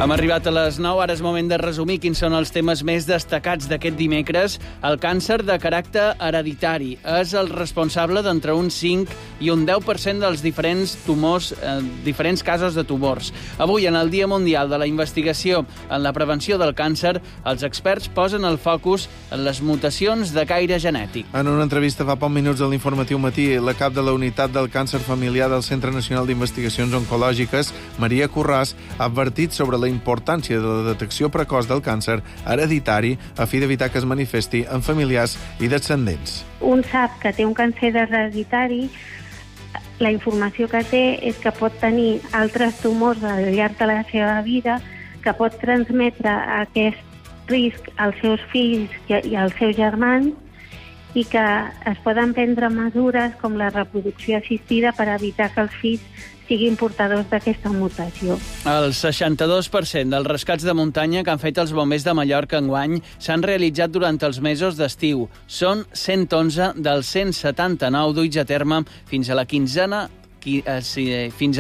Hem arribat a les 9, ara és moment de resumir quins són els temes més destacats d'aquest dimecres. El càncer de caràcter hereditari és el responsable d'entre un 5 i un 10% dels diferents casos de tumors. Avui, en el Dia Mundial de la Investigació en la Prevenció del Càncer, els experts posen el focus en les mutacions de caire genètic. En una entrevista fa pocs minuts a l'Informatiu Matí, la cap de la Unitat del Càncer Familiar del Centre Nacional d'Investigacions Oncològiques, Maria Curràs, ha advertit sobre la importància de la detecció precoç del càncer hereditari a fi d'evitar que es manifesti en familiars i descendents. Un sap que té un càncer hereditari, la informació que té és que pot tenir altres tumors al llarg de la seva vida, que pot transmetre aquest risc als seus fills i als seus germans, i que es poden prendre mesures com la reproducció assistida per evitar que els fills siguin portadors d'aquesta mutació. El 62% dels rescats de muntanya que han fet els bombers de Mallorca enguany s'han realitzat durant els mesos d'estiu. Són 111 dels 179 duits a terme fins a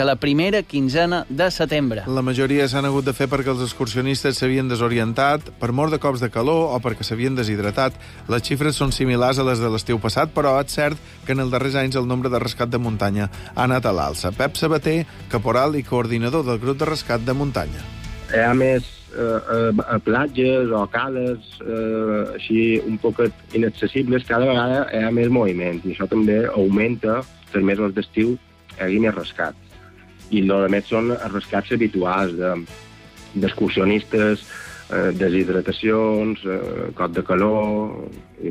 la primera quinzena de setembre. La majoria s'han hagut de fer perquè els excursionistes s'havien desorientat, per mort de cops de calor o perquè s'havien deshidratat. Les xifres són similars a les de l'estiu passat, però és cert que en els darrers anys el nombre de rescat de muntanya ha anat a l'alça. Pep Sabater, caporal i coordinador del grup de rescat de muntanya. Hi ha més a platges o cales així un poc inaccessibles, cada vegada hi ha més moviment i això també augmenta els mesos d'estiu hi hagi més rescat. I el que més són els rescats habituals d'excursionistes, deshidratacions, cop de calor i,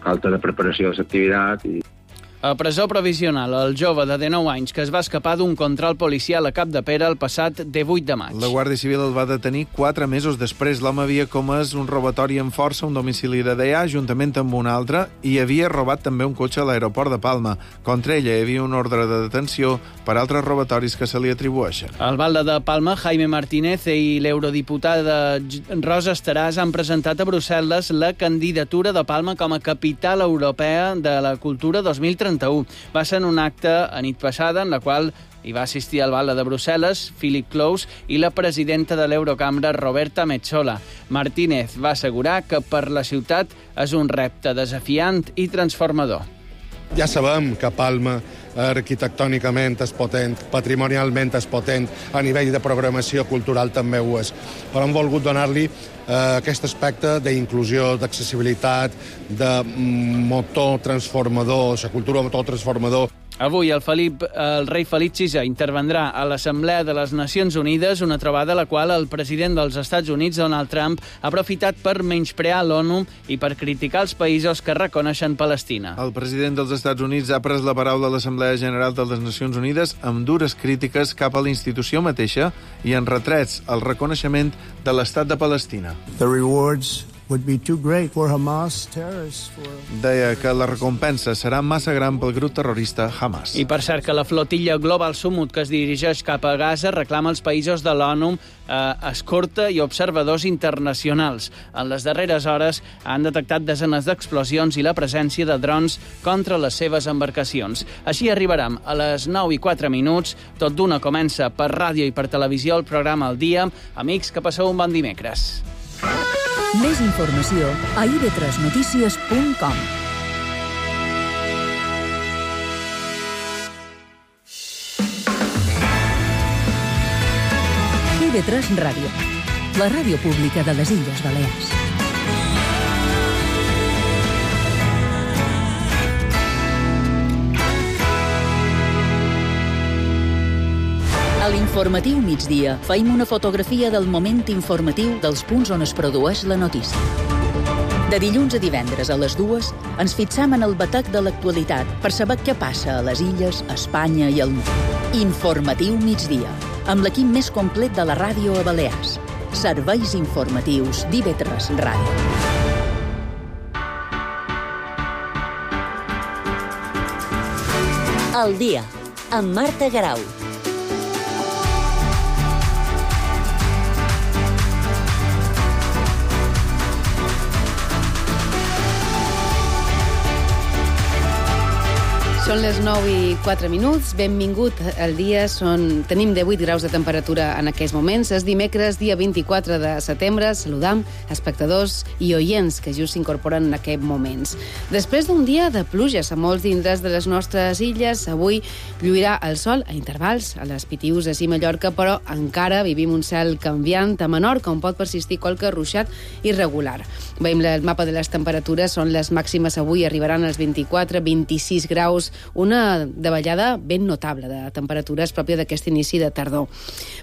falta de preparació de l'activitat. A presó provisional, el jove de 19 anys que es va escapar d'un control policial a Capdepera el passat 18 de maig. La Guàrdia Civil el va detenir 4 mesos després. L'home havia comès un robatori amb força a un domicili de Deià, juntament amb un altre, i havia robat també un cotxe a l'aeroport de Palma. Contra ella hi havia un ordre de detenció per altres robatoris que se li atribueixen. Al Valde de Palma, Jaime Martínez i l'eurodiputada Rosa Estaràs han presentat a Brussel·les la candidatura de Palma com a capital europea de la cultura 2031. Va ser en un acte a nit passada en la qual hi va assistir al Valde de Brussel·les, Philip Klaus, i la presidenta de l'Eurocambra, Roberta Metsola. Martínez va assegurar que per la ciutat és un repte desafiant i transformador. Ja sabem que Palma arquitectònicament és potent, patrimonialment és potent, a nivell de programació cultural també ho és. Però hem volgut donar-li aquest aspecte d'inclusió, d'accessibilitat, de motor transformador, la cultura motor transformador. Avui el rei Felip VI intervendrà a l'Assemblea de les Nacions Unides, una trobada a la qual el president dels Estats Units, Donald Trump, ha aprofitat per menysprear l'ONU i per criticar els països que reconeixen Palestina. El president dels Estats Units ha pres la paraula a l'Assemblea General de les Nacions Unides amb dures crítiques cap a la institució mateixa i en retrets al reconeixement de l'Estat de Palestina. The rewards would be too great for Hamas terrorists. Deia que la recompensa serà massa gran pel grup terrorista Hamas. I per cert que la flotilla Global Summit que es dirigeix cap a Gaza reclama als països de l'ONU escorta i observadors internacionals. En les darreres hores han detectat desenes d'explosions i la presència de drons contra les seves embarcacions. Així arribarem a les 9:04. Tot d'una comença per ràdio i per televisió el programa El Dia. Amics, que passeu un bon dimecres. Més informació a ib3notícies.com. IB3 Ràdio, la ràdio pública de les Illes Balears. A l'informatiu migdia faim una fotografia del moment informatiu dels punts on es produeix la notícia. De dilluns a divendres a les 2 ens fixam en el batec de l'actualitat per saber què passa a les illes, a Espanya i al món. Informatiu migdia, amb l'equip més complet de la ràdio a Balears. Serveis informatius d'IB3 Ràdio. El dia, amb Marta Garau. Són les 9:04. Benvingut al dia. Tenim 18 graus de temperatura en aquests moments. És dimecres, dia 24 de setembre. Saludam espectadors i oients que just s'incorporen en aquests moments. Després d'un dia de pluges a molts indrets de les nostres illes, avui lluirà el sol a intervals a les Pitiüses i Mallorca, però encara vivim un cel canviant a Menorca, on pot persistir qualque ruixat irregular. Veiem el mapa de les temperatures. Són les màximes avui, arribaran als 24-26 graus, una davallada ben notable de temperatures pròpia d'aquest inici de tardor.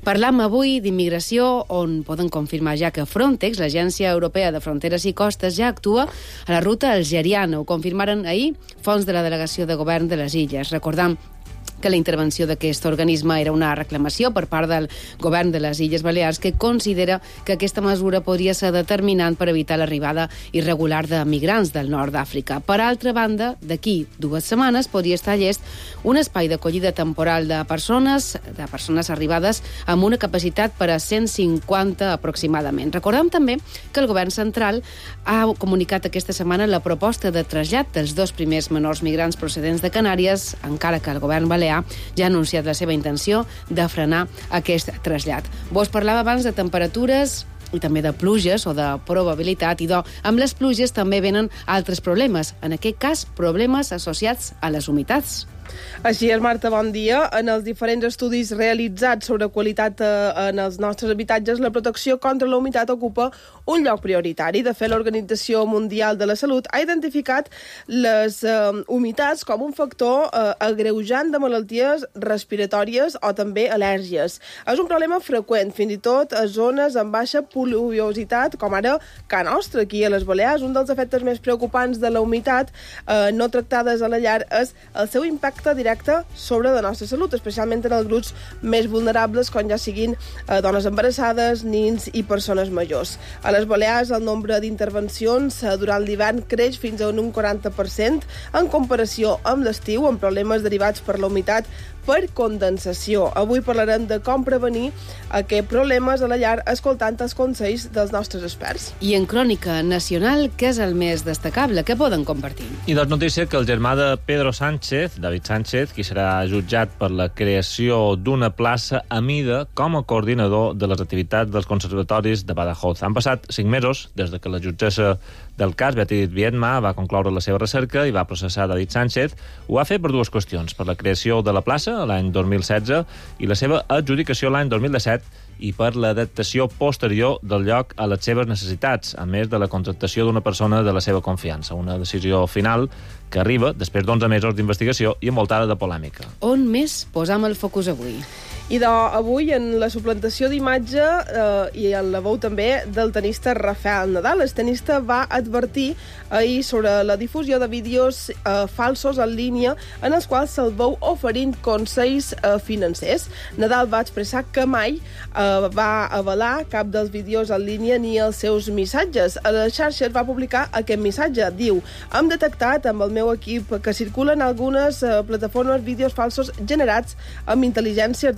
Parlam avui d'immigració, on poden confirmar ja que Frontex, l'Agència Europea de Fronteres i Costes, ja actua a la ruta algeriana. Ho confirmaren ahir fonts de la Delegació de Govern de les Illes. Recordam que la intervenció d'aquest organisme era una reclamació per part del govern de les Illes Balears, que considera que aquesta mesura podria ser determinant per evitar l'arribada irregular de migrants del nord d'Àfrica. Per altra banda, d'aquí 2 setmanes podria estar llest un espai d'acollida temporal de persones arribades amb una capacitat per a 150 aproximadament. Recordem també que el govern central ha comunicat aquesta setmana la proposta de trasllat dels 2 primers menors migrants procedents de Canàries, encara que el govern balear ja ha anunciat la seva intenció de frenar aquest trasllat. Vos parlava abans de temperatures i també de pluges o de probabilitat, i amb les pluges també venen altres problemes, en aquest cas problemes associats a les humitats. Així és, Marta, bon dia. En els diferents estudis realitzats sobre qualitat en els nostres habitatges, la protecció contra la humitat ocupa un lloc prioritari. De fet, l'Organització Mundial de la Salut ha identificat les humitats com un factor agreujant de malalties respiratòries o també al·lèrgies. És un problema freqüent, fins i tot a zones amb baixa pluviositat, com ara Ca Nostra, aquí a les Balears. Un dels efectes més preocupants de la humitat no tractades a la llar és el seu impacte directe sobre la nostra salut, especialment en els grups més vulnerables, com ja siguin dones embarassades, nins i persones majors. A les Balears, el nombre d'intervencions durant l'hivern creix fins a un 40% en comparació amb l'estiu, amb problemes derivats per la humitat per condensació. Avui parlarem de com prevenir aquests problemes a la llar escoltant els consells dels nostres experts. I en crònica nacional, què és el més destacable? Què poden compartir? I doncs notícia que el germà de Pedro Sánchez, David Sánchez, qui serà jutjat per la creació d'una plaça a mida com a coordinador de les activitats dels conservatoris de Badajoz. Han passat 5 mesos des que la jutgessa del cas, Beatriz Viedma, va concloure la seva recerca i va processar David Sánchez. Ho va fer per 2 qüestions: per la creació de la plaça l'any 2016 i la seva adjudicació l'any 2017, i per l'adaptació posterior del lloc a les seves necessitats, a més de la contractació d'una persona de la seva confiança. Una decisió final que arriba després d'11 mesos d'investigació i envoltada de polèmica. On més posam el focus avui? I avui en la suplantació d'imatge i en la veu també del tenista Rafael Nadal. El tenista va advertir ahir sobre la difusió de vídeos falsos en línia en els quals se'l veu oferint consells financers. Nadal va expressar que mai va avalar cap dels vídeos en línia ni els seus missatges. A les xarxes va publicar aquest missatge. Diu: hem detectat amb el meu equip que circulen algunes plataformes vídeos falsos generats amb intel·ligència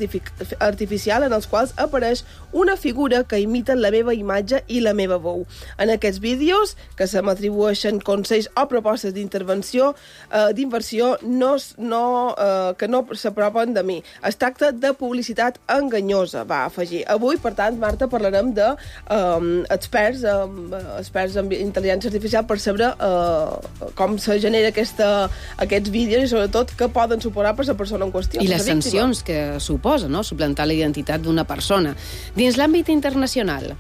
artificial en els quals apareix una figura que imita la meva imatge i la meva veu. En aquests vídeos, que se m'atribueixen consells o propostes d'inversió que no s'apropen de mi. Es tracta de publicitat enganyosa, va afegir. Avui, per tant, Marta, parlarem de experts en intel·ligència artificial per saber com se genera aquests vídeos i, sobretot, què poden suposar per la persona en qüestió. I les sancions que suposa, no?, suplantar la identitat d'una persona. Dins l'àmbit internacional.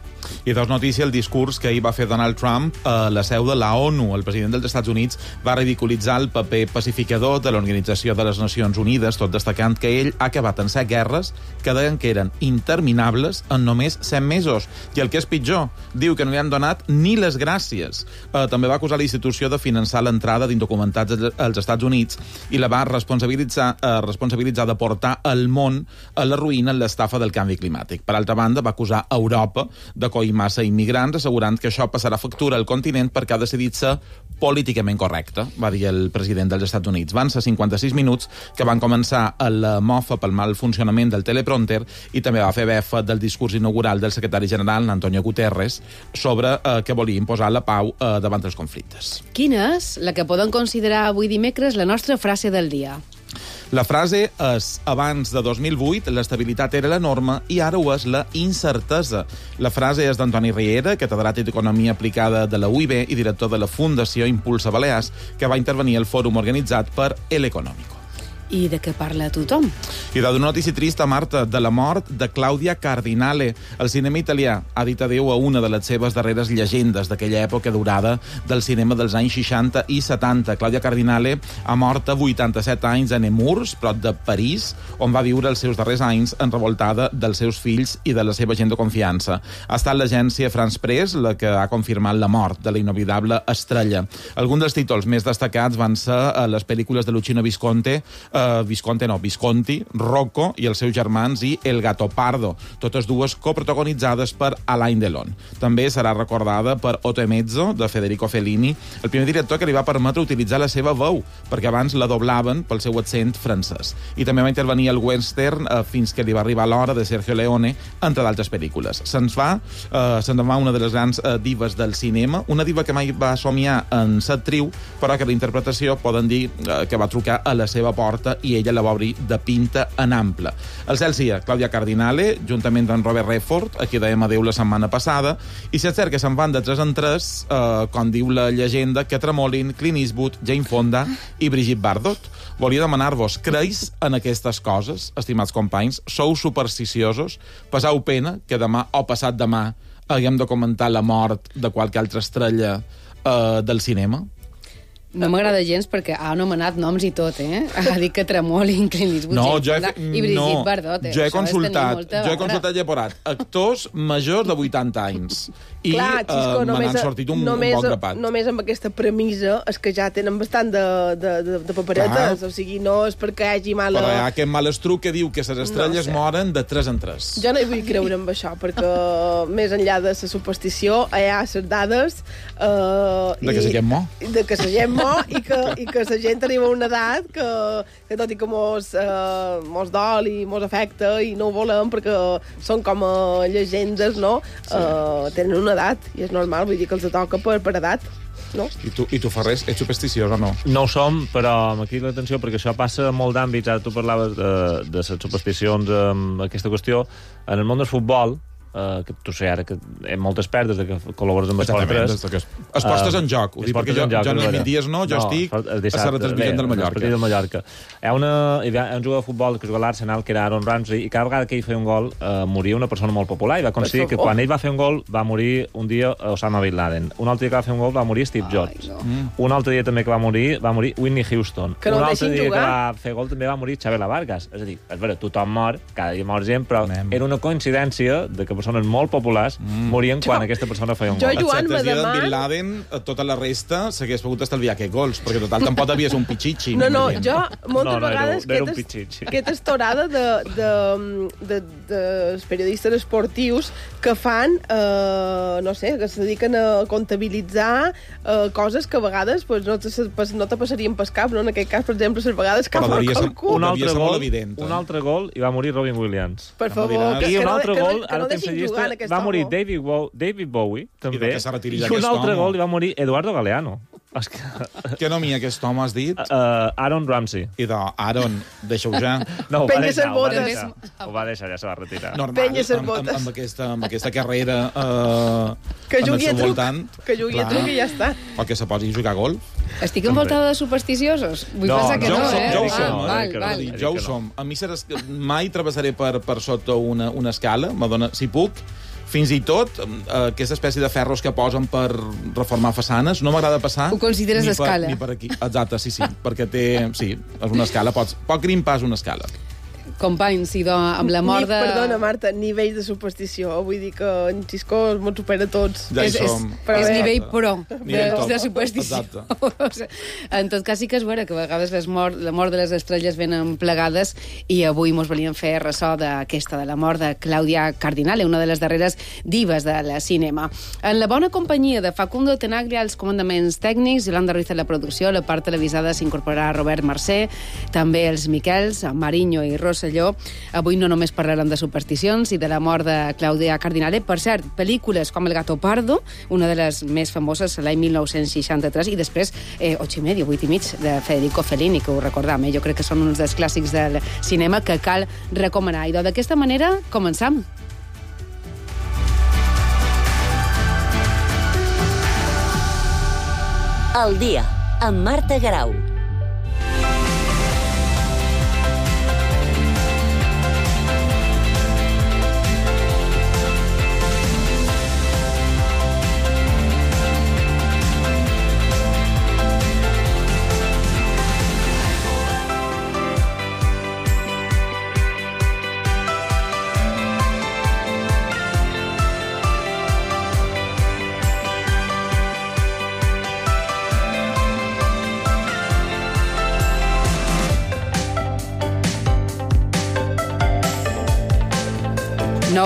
I notícia el discurs que ahir va fer Donald Trump a la seu de la ONU. El president dels Estats Units va ridiculitzar el paper pacificador de l'Organització de les Nacions Unides, tot destacant que ell ha acabat en 7 guerres que deien que eren interminables en només 100 mesos. I el que és pitjor, diu que no li han donat ni les gràcies. També va acusar la institució de finançar l'entrada d'indocumentats als Estats Units i la va responsabilitzar de portar al món a la ruïna en l'estafa del canvi climàtic. Per altra banda, va acusar Europa d'acollir massa immigrants, assegurant que això passarà factura al continent perquè ha decidit ser políticament correcte, va dir el president dels Estats Units. Van ser 56 minuts que van començar a la mofa pel mal funcionament del teleprompter i també va fer befa del discurs inaugural del secretari general, Antonio Guterres, sobre que volia imposar la pau davant dels conflictes. Quina és la que podem considerar avui dimecres la nostra frase del dia? La frase és: abans de 2008 l'estabilitat era la norma i ara ho és la incertesa. La frase és d'Antoni Riera, catedràtic d'Economia Aplicada de la UIB i director de la Fundació Impulsa Balears, que va intervenir al fòrum organitzat per El Económico. I de què parla tothom? I d'una notícia trista, Marta, de la mort de Claudia Cardinale. El cinema italià ha dit adéu a una de les seves darreres llegendes d'aquella època durada del cinema dels anys 60 i 70. Claudia Cardinale ha mort a 87 anys a Nemours, prop de París, on va viure els seus darrers anys enrevoltada dels seus fills i de la seva gent de confiança. Ha estat l'agència France Press la que ha confirmat la mort de la inoblidable estrella. Alguns dels títols més destacats van ser les pel·lícules de Luchino Visconti, Rocco i els seus germans i El Gattopardo, totes dues coprotagonitzades per Alain Delon. També serà recordada per Otto e Mezzo, de Federico Fellini, el primer director que li va permetre utilitzar la seva veu, perquè abans la doblaven pel seu accent francès. I també va intervenir al western fins que li va arribar l'hora de Sergio Leone, entre d'altres pel·lícules. Se'n va una de les grans divas del cinema, una diva que mai va somiar en ser actriu, però que la interpretació poden dir que va trucar a la seva porta i ella la va obrir de pinta en ample. El cel sia Claudia Cardinale, juntament amb Robert Redford, a qui dèiem adéu la setmana passada, i si és cert que se'n van de 3 en 3, com diu la llegenda, que tremolin Clint Eastwood, Jane Fonda i Brigitte Bardot. Volia demanar-vos, creus en aquestes coses, estimats companys? Sou supersticiosos? Passau pena que demà o passat demà haguem de comentar la mort de qualque altra estrella del cinema? No m'agrada gens perquè ha anomenat noms i tot, Ha dit que tremolin Clint Eastwood i Brigitte Bardot. Jo he consultat Lleporat. Actors majors de 80 anys. I me n'han sortit un bon grapat. Només amb aquesta premissa és que ja tenen bastant de paperetes. O sigui, no és perquè hi hagi mala... Però hi ha aquest malestruc que diu que les estrelles moren de 3 en 3. Jo no hi vull creure amb això, perquè més enllà de la superstició hi ha les dades... De que la gent mor. De que la gent mor i que la gent arriba a una edat que tot i que mos dol i mos afecta i no ho volem perquè són com llegendes, no? Tenen una edat i és normal, vull dir que els toca per edat. No? I tu, Ferrés, ets supersticiós o no? No ho som, però m'ha cridat l'atenció perquè això passa en molt d'àmbits. Ara tu parlaves de les supersticions amb aquesta qüestió. En el món del futbol, que tu sé ara que hi ha moltes perdes de que col·labores amb Esport 3. Es postes en joc. Ho dic perquè jo no hi dies no, jo estic a la retransmissió del Mallorca. Del Mallorca. Hi ha un jugador de futbol que juga a l'Arsenal, que era Aaron Ramsey, i cada vegada que ell feia un gol moria una persona molt popular, i va aconseguir que quan ell va fer un gol va morir un dia Osama Bin Laden. Un altre dia que va fer un gol va morir Steve Jobs. Un altre dia també que va morir Whitney Houston. Un altre dia que va fer gol també va morir Xavi Vargas. És a dir, és vera, tothom mor, cada dia mor gent, però era una coincidència de que persones molt populars morien quan aquesta persona feia un gol. Joan, me deman... Bin Laden, tota la resta s'hagués pogut estalviar aquests gols, perquè total tampoc havies un pitxitxi. No, jo moltes vegades aquesta estorada de periodistes esportius que fan, no sé, que se dediquen a comptabilitzar coses que a vegades no te passarien pel cap, no? En aquest cas, per exemple, les vegades que fa qualcú. Un altre gol i va morir Robin Williams. Per favor, i un altre gol, ara deixin jugar va morir David Bowie, també, i un altre gol i va morir Eduardo Galeano. Que nom hi ha aquest home, has dit? Aaron Ramsey. I Aaron, deixa-ho ja. No, ho va deixar, ja se va retirar. Normal, amb aquesta carrera que jugui a truc i ja està. O que se posi a jugar a golf. Estic envoltada de supersticiosos? Vull pensar que no, Jo ho som. A mi mai travessaré per sota una escala, si puc. Fins i tot aquesta espècie de ferros que posen per reformar façanes, no m'agrada passar... Ho consideres escala? Ni per aquí. Exacte, sí, perquè és una escala. Pot grimpar una escala. Companys, idò, amb la mort de... Perdona, Marta, nivell de superstició. Vull dir que en Xisco ens supera tots. Ja hi som. És nivell pro de superstició. En tot cas, sí que és vera que a vegades la mort de les estrelles venen plegades i avui mos volíem fer ressò d'aquesta, de la mort de Clàudia Cardinale, una de les darreres divas del cinema. En la bona companyia de Facundo Tenaglia als comandaments tècnics, Yolanda Ruiz a la producció, la part televisada s'incorporarà Robert Mercè, també els Miquels, Mariño i Rosselló. Avui no només parlarem de supersticions i de la mort de Clàudia Cardinale. Per cert, pel·lícules com El gato pardo, una de les més famoses l'any 1963, i després 8:30, 8:30, de Federico Fellini, que ho recordam. Jo crec que són uns dels clàssics del cinema que cal recomanar. I d'aquesta manera començam. El dia, amb Marta Garau.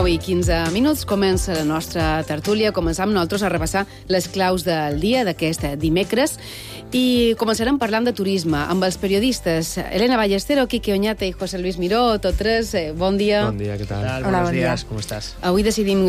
I 15 minuts, comença la nostra tertúlia. Començam nosaltres a repassar les claus del dia d'aquest dimecres i començarem parlant de turisme amb els periodistes Elena Ballestero, Quique Oñate i José Luis Miró, tots tres. Bon dia. Bon dia, què tal? Hola, Buenos días, com estàs? Avui decidim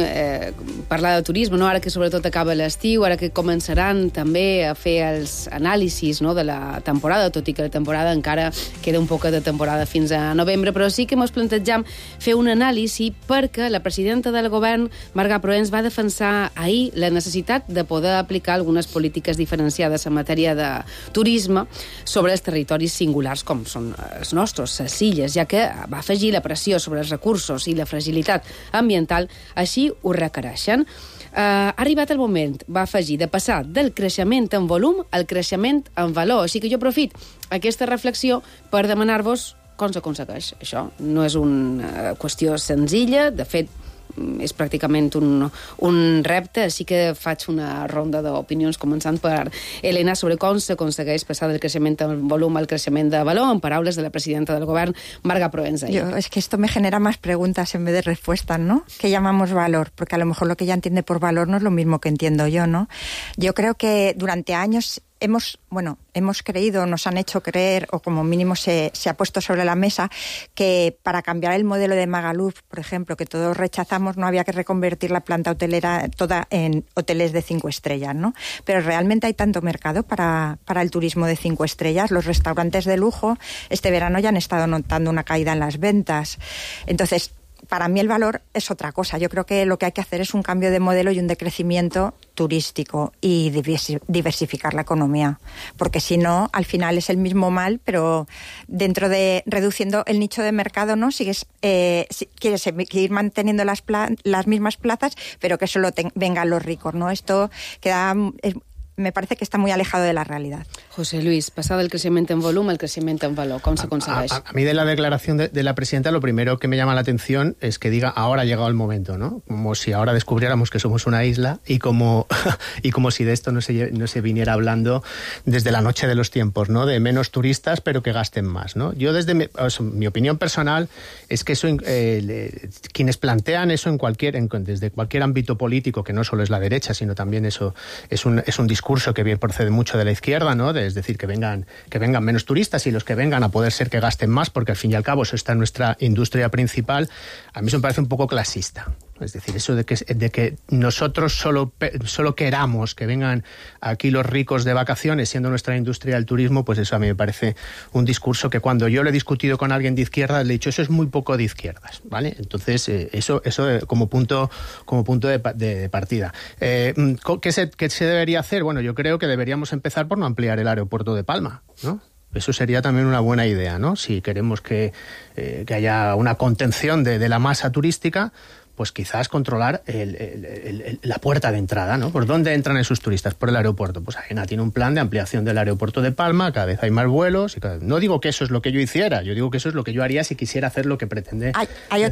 parlar de turisme, no? Ara que sobretot acaba l'estiu, ara que començaran també a fer els anàlisis, no?, de la temporada, tot i que la temporada encara queda un poc de temporada fins a novembre, però sí que ens plantejam fer un anàlisi perquè la presidenta del govern, Marga Proens, va defensar ahir la necessitat de poder aplicar algunes polítiques diferenciades en matèria de turisme sobre els territoris singulars com són els nostres, les illes, ja que va afegir la pressió sobre els recursos i la fragilitat ambiental, així ho requereixen. Ha arribat el moment, va afegir, de passar del creixement en volum al creixement en valor. Així que jo aprofito aquesta reflexió per demanar-vos com s'aconsegueix això. No és una qüestió senzilla, de fet, és pràcticament un repte, així que faig una ronda d'opinions, començant per Elena, sobre com s'aconsegueix passar del creixement en volum al creixement de valor, en paraules de la presidenta del govern, Marga Proens. Es que esto me genera más preguntas en vez de respuestas, ¿no? ¿Qué llamamos valor? Porque a lo mejor lo que ella entiende por valor no es lo mismo que entiendo yo, ¿no? Yo creo que durante años hemos creído, nos han hecho creer, o como mínimo se ha puesto sobre la mesa, que para cambiar el modelo de Magaluf, por ejemplo, que todos rechazamos, no había que reconvertir la planta hotelera toda en hoteles de 5 estrellas, ¿no? Pero realmente hay tanto mercado para el turismo de 5 estrellas. Los restaurantes de lujo este verano ya han estado notando una caída en las ventas. Entonces, para mí el valor es otra cosa. Yo creo que lo que hay que hacer es un cambio de modelo y un decrecimiento turístico y diversificar la economía. Porque si no, al final es el mismo mal, pero dentro de reduciendo el nicho de mercado, ¿no? Quieres seguir manteniendo las mismas plazas, pero que solo vengan los ricos, ¿no? Esto me parece que está muy alejado de la realidad. José Luis, pasado del crecimiento en volumen al crecimiento en valor, ¿cómo se consigue? A mí de la declaración de la presidenta lo primero que me llama la atención es que diga ahora ha llegado el momento, ¿no? Como si ahora descubriéramos que somos una isla y como si de esto no se viniera hablando desde la noche de los tiempos, ¿no? De menos turistas pero que gasten más, ¿no? Yo desde mi opinión personal es que eso quienes plantean eso desde cualquier ámbito político, que no solo es la derecha, sino también eso es un discurso que bien procede mucho de la izquierda, ¿no? Es decir, que vengan menos turistas y los que vengan a poder ser que gasten más, porque al fin y al cabo eso está en nuestra industria principal. A mí eso me parece un poco clasista. Es decir, eso de que nosotros solo queramos que vengan aquí los ricos de vacaciones, siendo nuestra industria el turismo, pues eso a mí me parece un discurso que cuando yo lo he discutido con alguien de izquierdas le he dicho eso es muy poco de izquierdas, ¿vale? Entonces eso como punto de partida. ¿Qué se debería hacer? Bueno, yo creo que deberíamos empezar por no ampliar el aeropuerto de Palma, ¿no? Eso sería también una buena idea, ¿no? Si queremos que haya una contención de la masa turística, pues quizás controlar la puerta de entrada, ¿no? ¿Por dónde entran esos turistas? Por el aeropuerto. Pues AENA tiene un plan de ampliación del aeropuerto de Palma, cada vez hay más vuelos. No digo que eso es lo que yo hiciera, yo digo que eso es lo que yo haría si quisiera hacer lo que pretende. Hay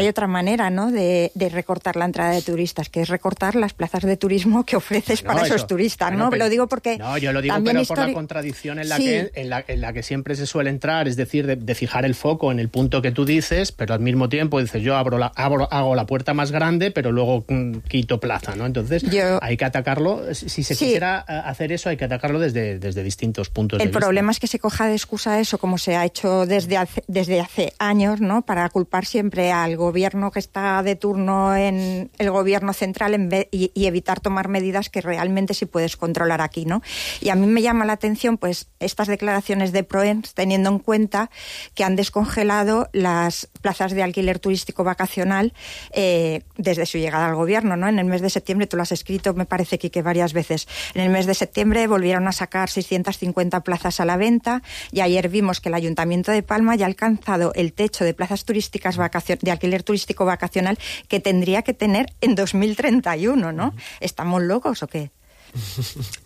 otra manera, ¿no?, de recortar la entrada de turistas, que es recortar las plazas de turismo que ofreces para esos turistas, ¿no? Lo digo porque... No, yo lo digo, pero por la contradicción en la que siempre se suele entrar, es decir, de fijar el foco en el punto que tú dices, pero al mismo tiempo dices, yo hago la puerta más grande, pero luego quito plaza, ¿no? Entonces, hay que atacarlo, si se quisiera hacer eso, hay que atacarlo desde distintos puntos de vista. El problema es que se coja de excusa eso, como se ha hecho desde hace años, ¿no?, para culpar siempre al gobierno que está de turno en el gobierno central y evitar tomar medidas que realmente sí puedes controlar aquí, ¿no? Y a mí me llama la atención, pues, estas declaraciones de Proens, teniendo en cuenta que han descongelado las plazas de alquiler turístico vacacional desde su llegada al gobierno, ¿no? En el mes de septiembre, tú lo has escrito, me parece, que varias veces, en el mes de septiembre volvieron a sacar 650 plazas a la venta y ayer vimos que el Ayuntamiento de Palma ya ha alcanzado el techo de plazas turísticas de alquiler turístico vacacional que tendría que tener en 2031, ¿no? ¿Estamos locos o què?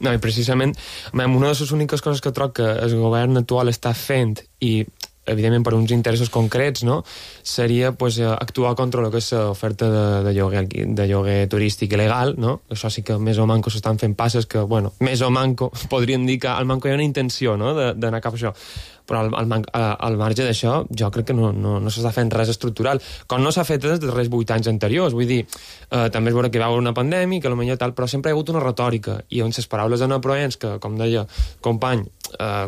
No, i precisament una de les úniques coses que trobo que el govern actual està fent, i evidentment per uns interessos concrets, no?, seria pues, actuar contra el que és l'oferta de lloguer turístic il·legal, no? Això sí que més o manco s'estan fent passes que, bueno, més o manco podríem dir que al manco hi ha una intenció, no?, d'anar cap a això. Però al marge d'això jo crec que no s'està fent res estructural, com no s'ha fet des dels darrers 8 anys anteriors. Vull dir, també és vera que hi va haver una pandèmia, que potser tal, però sempre hi ha hagut una retòrica, i on les paraules de Proens, que, com deia company,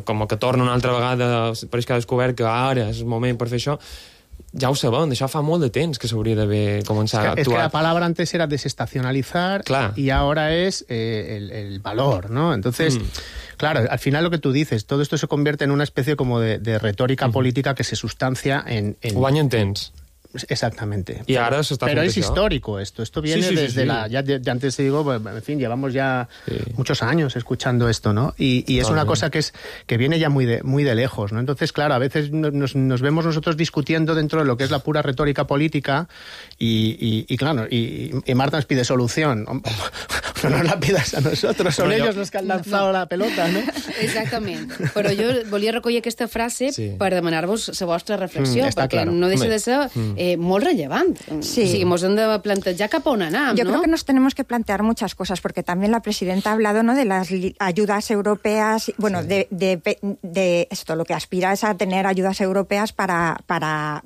com que torna una altra vegada, pareix que ha descobert que ara és el moment per fer això, ja ho sabem, d'això fa molt de temps que s'hauria d'haver començat a actuar. Es que la palabra antes era desestacionalizar, y ahora es el valor, ¿no? Entonces, claro, al final lo que tú dices, todo esto se convierte en una especie como de retórica política que se sustancia en... Guanya en temps. Exactamente. Y ahora se está Pero es haciendo histórico esto viene desde la... Ya antes te digo, en fin, llevamos ya muchos años escuchando esto, ¿no? Y es una cosa que viene ya muy de lejos, ¿no? Entonces, claro, a veces nos vemos nosotros discutiendo dentro de lo que es la pura retórica política y claro, y Marta nos pide solución. No nos la pidas a nosotros, son ellos los que han lanzado la pelota, no? Exactament. Però jo volia recollir aquesta frase per demanar-vos la vostra reflexió, perquè no deixa de ser molt rellevant. Sí. O sigui, ens hem de plantejar cap a on anar, Yo ¿no? creo que nos tenemos que plantear muchas cosas, porque también la presidenta ha hablado, ¿no?, de las ayudas europeas, bueno, de esto, lo que aspira es a tener ayudas europeas para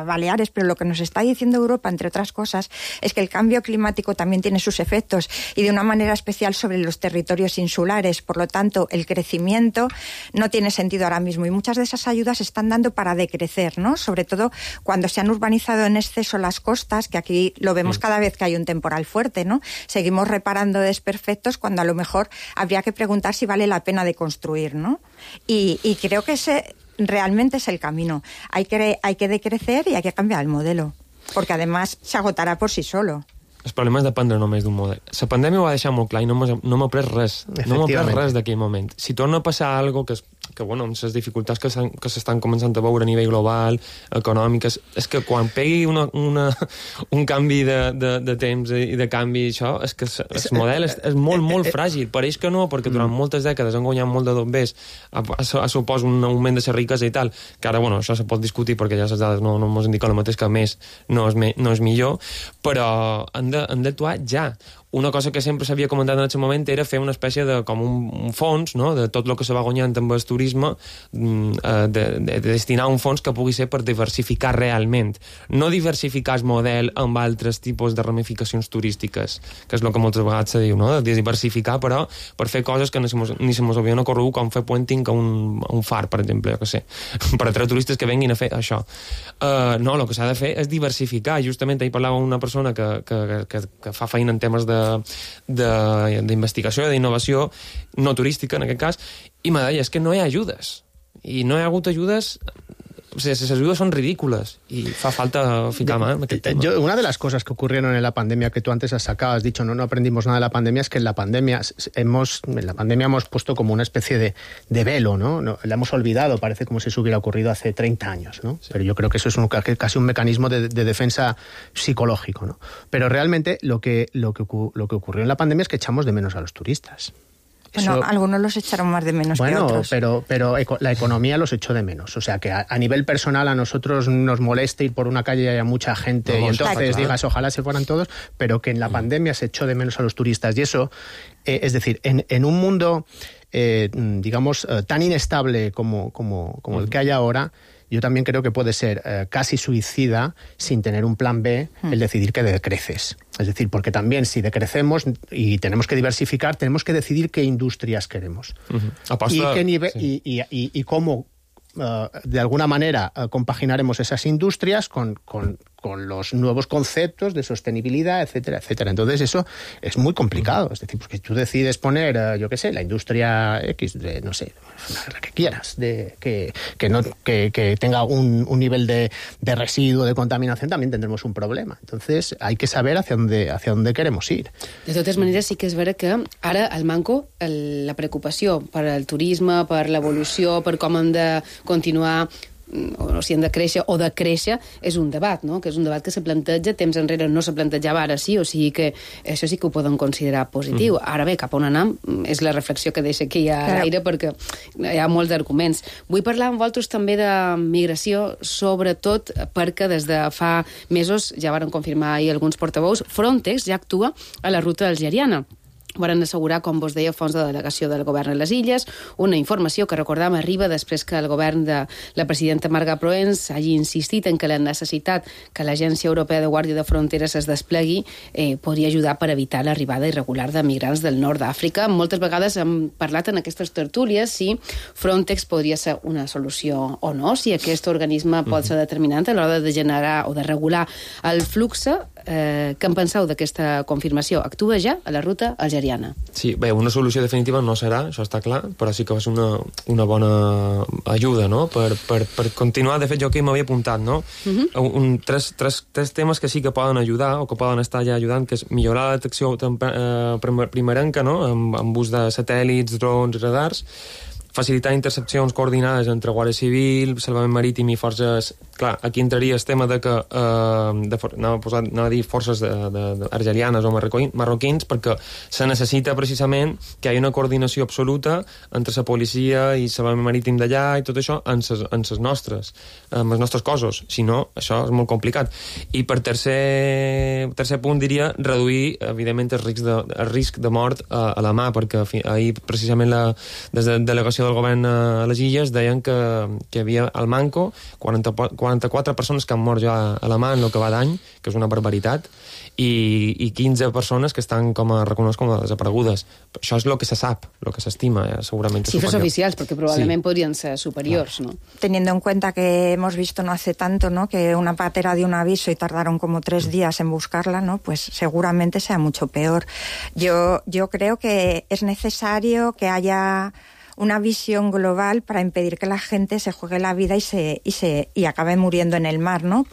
Baleares, pero lo que nos está diciendo Europa, entre otras cosas, es que el cambio climático también tiene sus efectos, y de una manera especial sobre los territorios insulares. Por lo tanto, el crecimiento no tiene sentido ahora mismo, y muchas de esas ayudas se están dando para decrecer, ¿no? Sobre todo cuando se han urbanizado en exceso las costas, que aquí lo vemos cada vez que hay un temporal fuerte, ¿no? Seguimos reparando desperfectos cuando a lo mejor habría que preguntar si vale la pena de construir, ¿no? Y creo que ese realmente es el camino. Hay que decrecer y hay que cambiar el modelo, porque además se agotará por sí solo. El problema és dependre només d'un model. La pandèmia ho va deixar molt clar i no m'ha pres res. No m'ha pres res d'aquell moment. Si torna a passar alguna cosa que bueno, amb les dificultats que s'estan començant a veure a nivell global, econòmiques, és que quan pegui un canvi de temps i de canvi, això, és que el model és molt, molt fràgil. Pareix que no, perquè durant moltes dècades han guanyat molt de bombers, suposa un augment de la riquesa i tal, que ara, bueno, això se pot discutir perquè ja les dades no ens indiquen el mateix, que més no és millor, però han d'actuar ja. Una cosa que sempre s'havia comentat en aquest moment era fer una espècie de com un fons, no?, de tot el que se va guanyant amb el turisme, de destinar un fons que pugui ser per diversificar realment. No diversificar el model amb altres tipus de ramificacions turístiques, que és el que moltes vegades se diu, no?, de diversificar, però per fer coses que ni se mos havien ocorregut, com fer puenting a un far, per exemple, jo què sé, per atreure turistes que venguin a fer això. No, el que s'ha de fer és diversificar. Justament ahir parlava una persona que fa feina en temes d'investigació, d'innovació no turística en aquest cas, i me deia, és que no hi ha ajudes, i no hi ha hagut ajudes les ajudes són ridículas y fa falta ficar más en aquest tema. Una de las cosas que ocurrieron en la pandemia que tú antes has sacado, has dicho, no aprendimos nada de la pandemia, es que en la pandemia hemos puesto como una especie de velo, ¿no? La hemos olvidado, parece como si eso hubiera ocurrido hace 30 años, ¿no? Sí. Pero yo creo que eso es casi un mecanismo de defensa psicológico, ¿no? Pero realmente lo que ocurrió en la pandemia es que echamos de menos a los turistas. Bueno, algunos los echaron más de menos que otros. Pero la economía los echó de menos. O sea, que a nivel personal a nosotros nos molesta ir por una calle y haya mucha gente y entonces digas, ojalá se fueran todos, pero que en la pandemia se echó de menos a los turistas. Y eso, es decir, en un mundo, digamos, tan inestable como el que hay ahora, yo también creo que puede ser casi suicida, sin tener un plan B, el decidir que decreces. Es decir, porque también si decrecemos y tenemos que diversificar, tenemos que decidir qué industrias queremos. Y qué nivel, y cómo, de alguna manera, compaginaremos esas industrias con los nuevos conceptos de sostenibilidad, etcétera, etcétera. Entonces eso es muy complicado. Es decir, porque tú decides poner, yo qué sé, la industria X, no sé, la que quieras, que tenga un nivel de residuo, de contaminación, también tendremos un problema. Entonces hay que saber hacia dónde queremos ir. De totes maneres, sí que és vera que ara al Manco la preocupació per al turisme, per l'evolució, per com hem de continuar o si hem de créixer o decréixer, és un debat, no? Que és un debat que se planteja, temps enrere no se plantejava, ara sí, o sigui que això sí que ho poden considerar positiu. Ara bé, cap on anem és la reflexió que deixa aquí a l'aire, perquè hi ha molts arguments. Vull parlar amb vosaltres també de migració, sobretot perquè des de fa mesos, ja varen confirmar ahir alguns portaveus, Frontex ja actua a la ruta algeriana. Varen assegurar, com vos deia, fons de delegació del govern a les Illes, una informació que, recordam, arriba després que el govern de la presidenta Marga Proens hagi insistit en que la necessitat que l'Agència Europea de Guàrdia de Fronteres es desplegui podria ajudar per evitar l'arribada irregular de migrants del nord d'Àfrica. Moltes vegades hem parlat en aquestes tertúlies si Frontex podria ser una solució o no, si aquest organisme pot ser determinant a l'hora de generar o de regular el flux. Què en penseu d'aquesta confirmació? Actua ja a la ruta algeriana? Sí, bé, una solució definitiva no serà, això està clar, però sí que va ser una bona ajuda, no?, per continuar. De fet, jo aquí m'havia apuntat, no?, tres temes que sí que poden ajudar o que poden estar ja ajudant, que és millorar la detecció primerenca, no?, amb ús de satèl·lits, drons, radars, facilitar intercepcions coordinades entre Guàrdia Civil, Salvament Marítim i forces... Clar, aquí entraria el tema de que anava a dir forces argelianes o marroquins, perquè se necessita precisament que hi hagi una coordinació absoluta entre la policia i Salvament Marítim d'allà i tot això en els nostres cossos. Si no, això és molt complicat. I per tercer punt diria reduir, evidentment, el risc de mort a la mà, perquè ahir precisament des de la delegació del govern a les Illes deien que hi havia al Manco 44 persones que han mort ja a la mà en el que va d'any, que és una barbaritat, i 15 persones que estan reconegudes com a desaparegudes. Això és el que se sap, el que s'estima, segurament. Cifres oficials, porque probablemente podrían ser superiores, ¿no? Teniendo en cuenta que hemos visto no hace tanto, ¿no?, que una patera dio un aviso y tardaron como 3 días en buscarla, ¿no?, pues seguramente sea mucho peor. Yo creo que es necesario que haya una visión global para impedir que la gente se juegue la vida y acabe muriendo en el mar, ¿no?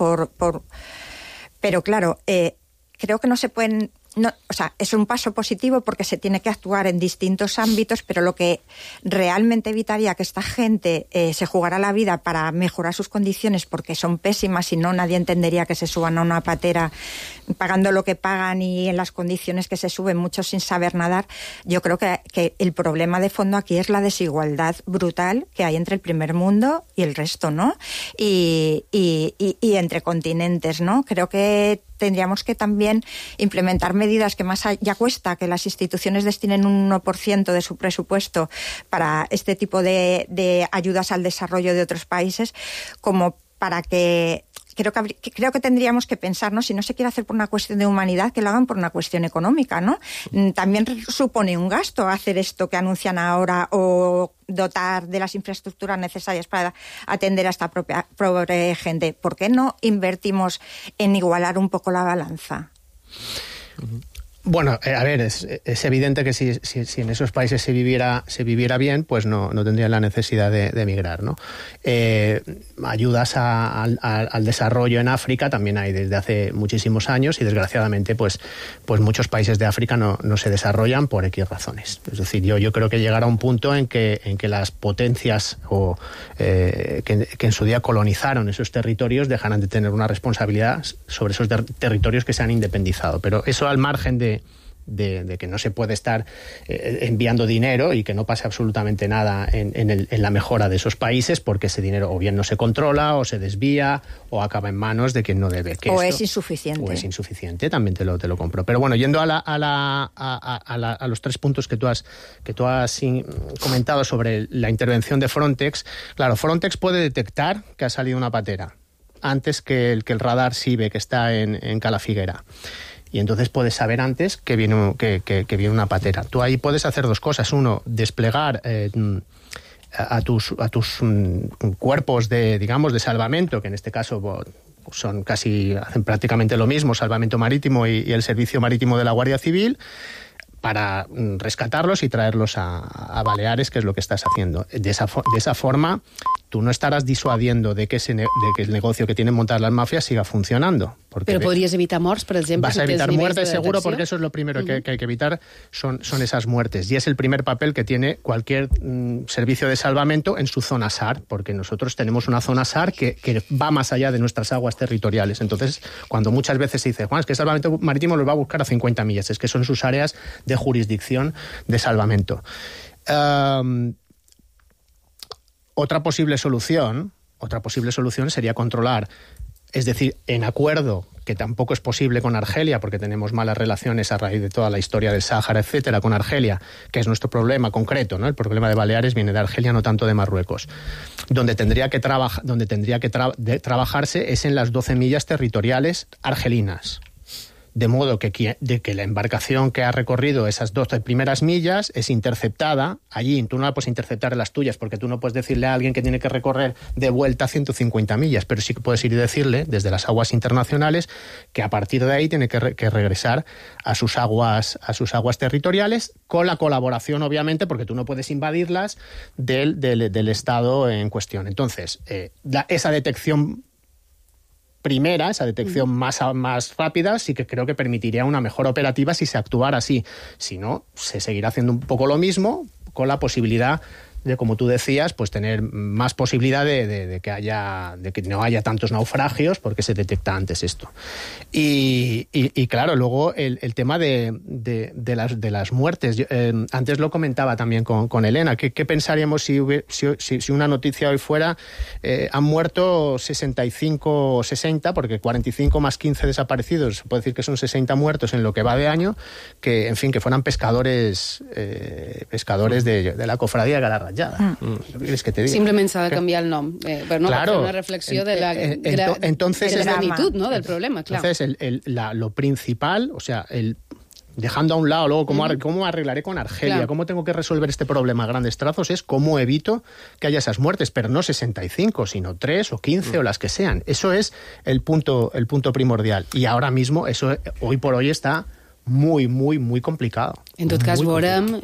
Pero claro, creo que no se pueden... No, o sea, es un paso positivo porque se tiene que actuar en distintos ámbitos, pero lo que realmente evitaría que esta gente se jugara la vida para mejorar sus condiciones, porque son pésimas y no nadie entendería que se suban a una patera pagando lo que pagan y en las condiciones que se suben, muchos sin saber nadar. Yo creo que el problema de fondo aquí es la desigualdad brutal que hay entre el primer mundo y el resto, ¿no? Y entre continentes, ¿no? Creo que tendríamos que también implementar medidas que más ya cuesta que las instituciones destinen un 1% de su presupuesto para este tipo de ayudas al desarrollo de otros países, como para que... Creo que tendríamos que pensar, ¿no?, si no se quiere hacer por una cuestión de humanidad, que lo hagan por una cuestión económica, ¿no? También supone un gasto hacer esto que anuncian ahora o dotar de las infraestructuras necesarias para atender a esta pobre gente. ¿Por qué no invertimos en igualar un poco la balanza? Bueno, a ver, es evidente que si en esos países se viviera bien, pues no tendrían la necesidad de emigrar, ¿no? Ayudas al desarrollo en África también hay desde hace muchísimos años y desgraciadamente pues muchos países de África no se desarrollan por X razones. Es decir, yo creo que llegará un punto en que las potencias que en su día colonizaron esos territorios dejarán de tener una responsabilidad sobre esos territorios que se han independizado. Pero eso al margen de que no se puede estar enviando dinero y que no pase absolutamente nada en la mejora de esos países, porque ese dinero o bien no se controla o se desvía o acaba en manos de quien no debe. Es insuficiente. O es insuficiente, también te lo compro. Pero bueno, yendo a los 3 puntos que tú has comentado sobre la intervención de Frontex, claro, Frontex puede detectar que ha salido una patera antes que el radar SIBE que está en Calafiguera. Y entonces puedes saber antes que viene una patera. Tú ahí puedes hacer 2 cosas. Uno, desplegar a tus cuerpos de salvamento, que en este caso hacen prácticamente lo mismo, salvamento marítimo y el servicio marítimo de la Guardia Civil, para rescatarlos y traerlos a Baleares, que es lo que estás haciendo. De esa forma, tú no estarás disuadiendo de que el negocio que tienen montadas las mafias siga funcionando. Pero podries evitar morts, per exemple. Vas a evitar muertes seguro, porque eso es lo primero que hay que evitar, son esas muertes. Y es el primer papel que tiene cualquier servicio de salvamento en su zona SAR, porque nosotros tenemos una zona SAR que va más allá de nuestras aguas territoriales. Entonces, cuando muchas veces se dice, Juan, es que el salvamento marítimo los va a buscar a 50 millas, es que son sus áreas de jurisdicción de salvamento. Otra posible solución sería controlar, es decir, en acuerdo, que tampoco es posible con Argelia, porque tenemos malas relaciones a raíz de toda la historia del Sáhara, etcétera, con Argelia, que es nuestro problema concreto, ¿no? El problema de Baleares viene de Argelia, no tanto de Marruecos. Donde tendría que trabajarse es en las 12 millas territoriales argelinas. De modo que la embarcación que ha recorrido esas 12 primeras millas es interceptada allí. Tú no la puedes interceptar en las tuyas, porque tú no puedes decirle a alguien que tiene que recorrer de vuelta 150 millas, pero sí que puedes ir y decirle desde las aguas internacionales que a partir de ahí tiene que regresar a sus aguas territoriales, con la colaboración, obviamente, porque tú no puedes invadirlas, del Estado en cuestión. Entonces, esa detección más rápida, sí que creo que permitiría una mejor operativa si se actuara así. Si no, se seguirá haciendo un poco lo mismo, con la posibilidad de, como tú decías, pues tener más posibilidad de que no haya tantos naufragios, porque se detecta antes esto. Y claro, luego el tema de las muertes. Antes lo comentaba también con Elena. ¿Qué pensaríamos si una noticia hoy fuera han muerto 65 o 60, porque 45 más 15 desaparecidos, se puede decir que son 60 muertos en lo que va de año, que fueran pescadores de la cofradía Galarra. Que te diga? Simplement s'ha de canviar el nom, però no, claro, una reflexió de la magnitud, ¿no?, del problema, claro. Entonces, lo principal, o sea, dejando a un lado luego cómo arreglaré con Argelia, claro, cómo tengo que resolver este problema a grandes trazos, es cómo evito que haya esas muertes, pero no 65, sino 3 o 15 o las que sean. Eso es el punto primordial. Y ahora mismo, eso hoy por hoy está muy, muy, muy complicado. En tot cas, veurem,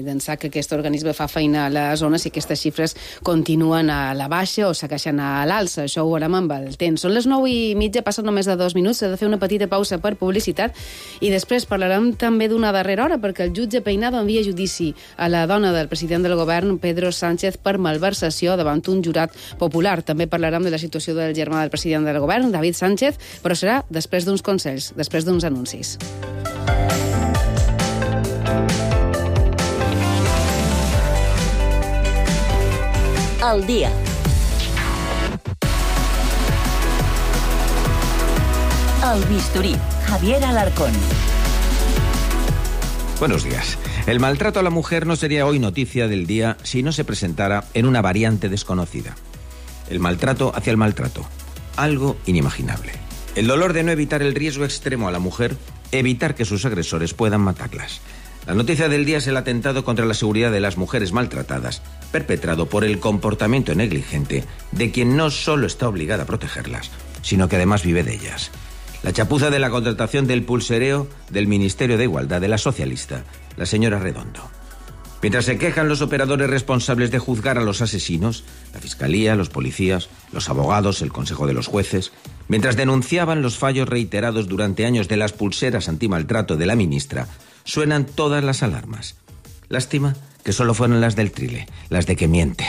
d'ençà que aquest organisme fa feina a la zona, si aquestes xifres continuen a la baixa o segueixen a l'alça. Això ho veurem amb el temps. Són les 9:30, passen només de 2 minuts, s'ha de fer una petita pausa per publicitat i després parlarem també d'una darrera hora, perquè el jutge Peinado envia judici a la dona del president del govern, Pedro Sánchez, per malversació davant un jurat popular. També parlarem de la situació del germà del president del govern, David Sánchez, però serà després d'uns consells, després d'uns anuncis. Al día. Al bisturí, Javier Alarcón. Buenos días. El maltrato a la mujer no sería hoy noticia del día si no se presentara en una variante desconocida. El maltrato hacia el maltrato. Algo inimaginable. El dolor de no evitar el riesgo extremo a la mujer, evitar que sus agresores puedan matarlas. La noticia del día es el atentado contra la seguridad de las mujeres maltratadas, perpetrado por el comportamiento negligente de quien no solo está obligada a protegerlas, sino que además vive de ellas. La chapuza de la contratación del pulsereo del Ministerio de Igualdad de la socialista, la señora Redondo. Mientras se quejan los operadores responsables de juzgar a los asesinos, la Fiscalía, los policías, los abogados, el Consejo de los Jueces, mientras denunciaban los fallos reiterados durante años de las pulseras antimaltrato de la ministra, suenan todas las alarmas. Lástima que solo fueron las del Trile, las de que miente.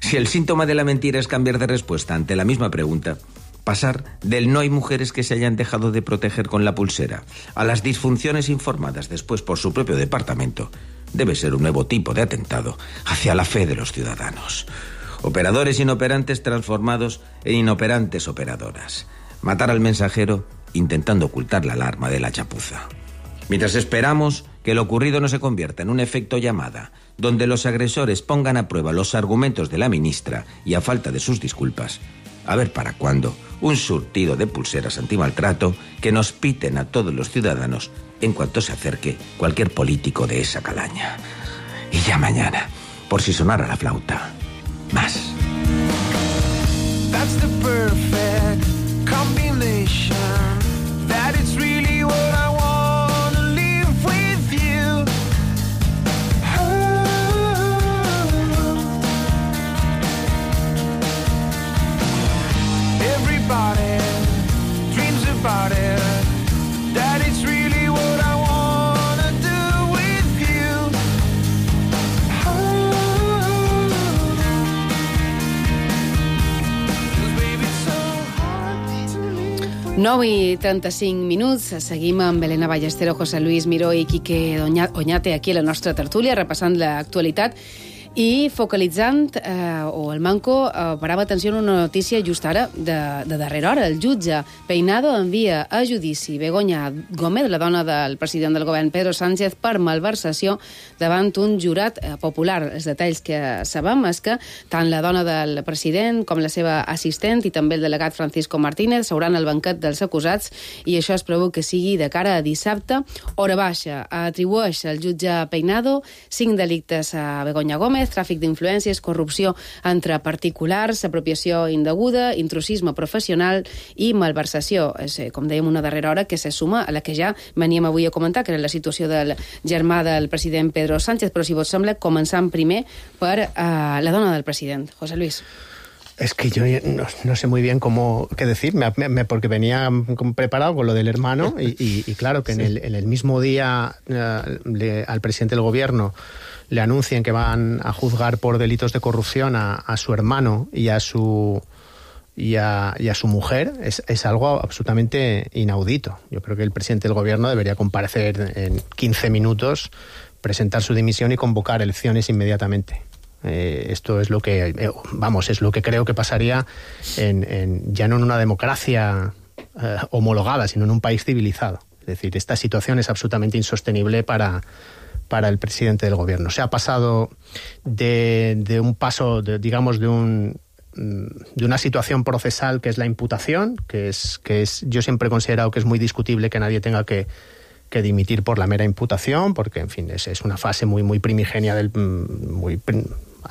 Si el síntoma de la mentira es cambiar de respuesta ante la misma pregunta, pasar del no hay mujeres que se hayan dejado de proteger con la pulsera a las disfunciones informadas después por su propio departamento, debe ser un nuevo tipo de atentado hacia la fe de los ciudadanos. Operadores inoperantes transformados en inoperantes operadoras. Matar al mensajero intentando ocultar la alarma de la chapuza. Mientras esperamos que lo ocurrido no se convierta en un efecto llamada, donde los agresores pongan a prueba los argumentos de la ministra y a falta de sus disculpas, a ver para cuándo un surtido de pulseras antimaltrato que nos piten a todos los ciudadanos en cuanto se acerque cualquier político de esa calaña. Y ya mañana, por si sonara la flauta, más. That's the perfect combination. That it's really what I want to live with you. Everybody dreams about it. That it's really what I want to do with you. 9:35. Seguim amb Elena Ballestero, José Luis Miró i Quique Oñate aquí a la nostra tertúlia, repassant l'actualitat i focalitzant, o el Manco parava atenció en una notícia just ara, de darrera hora. El jutge Peinado envia a judici Begoña Gómez, la dona del president del govern Pedro Sánchez, per malversació davant un jurat popular. Els detalls que sabem és que tant la dona del president com la seva assistent i també el delegat Francisco Martínez seuran al banquet dels acusats i això es preveu que sigui de cara a dissabte. Hora baixa. Atribueix el jutge Peinado 5 delictes a Begoña Gómez: tràfic d'influències, corrupció entre particulars, apropiació indeguda, intrusisme professional i malversació. És, com dèiem, una darrera hora que se suma a la que ja veníem avui a comentar, que era la situació del germà del president Pedro Sánchez. Però, si vos sembla, començant primer per la dona del president. José Luis. Es que yo no sé muy bien qué decir, porque venía preparado con lo del hermano y claro que sí. en el mismo día al presidente del gobierno le anuncian que van a juzgar por delitos de corrupción a su hermano y a su mujer, es algo absolutamente inaudito. Yo creo que el presidente del gobierno debería comparecer en 15 minutos, presentar su dimisión y convocar elecciones inmediatamente. Esto es lo que, es lo que creo que pasaría ya no en una democracia homologada, sino en un país civilizado. Es decir, esta situación es absolutamente insostenible para el presidente del gobierno. Se ha pasado de un paso, de una situación procesal que es la imputación, que es yo siempre he considerado que es muy discutible que nadie tenga que dimitir por la mera imputación, porque en fin es una fase muy primigenia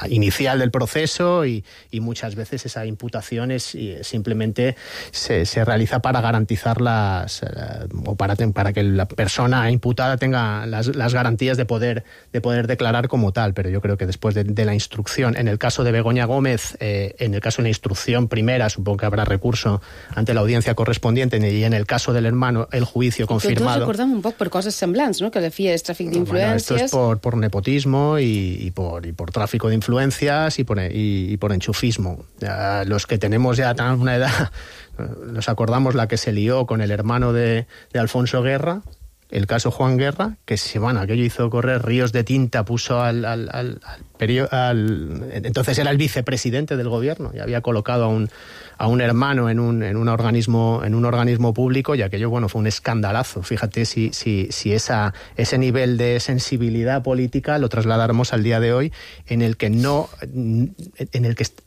inicial del proceso y muchas veces esa imputación simplemente se realiza para garantizar o para que la persona imputada tenga las garantías de poder declarar como tal. Pero yo creo que después de la instrucción, en el caso de Begoña Gómez, en el caso de la instrucción primera, supongo que habrá recurso ante la audiencia correspondiente, y en el caso del hermano, el juicio confirmado. Tots recordem un poc per coses semblants, ¿no? Que la FIA és tràfic d'influències. Bueno, esto es por nepotismo y por tráfico de influencias y por enchufismo. Los que tenemos ya tan una edad, nos acordamos la que se lió con el hermano de Alfonso Guerra, el caso Juan Guerra, que aquello hizo correr ríos de tinta, puso entonces era el vicepresidente del gobierno y había colocado a un hermano en un organismo público, y aquello fue un escandalazo. Fíjate si ese nivel de sensibilidad política lo trasladáramos al día de hoy, en el que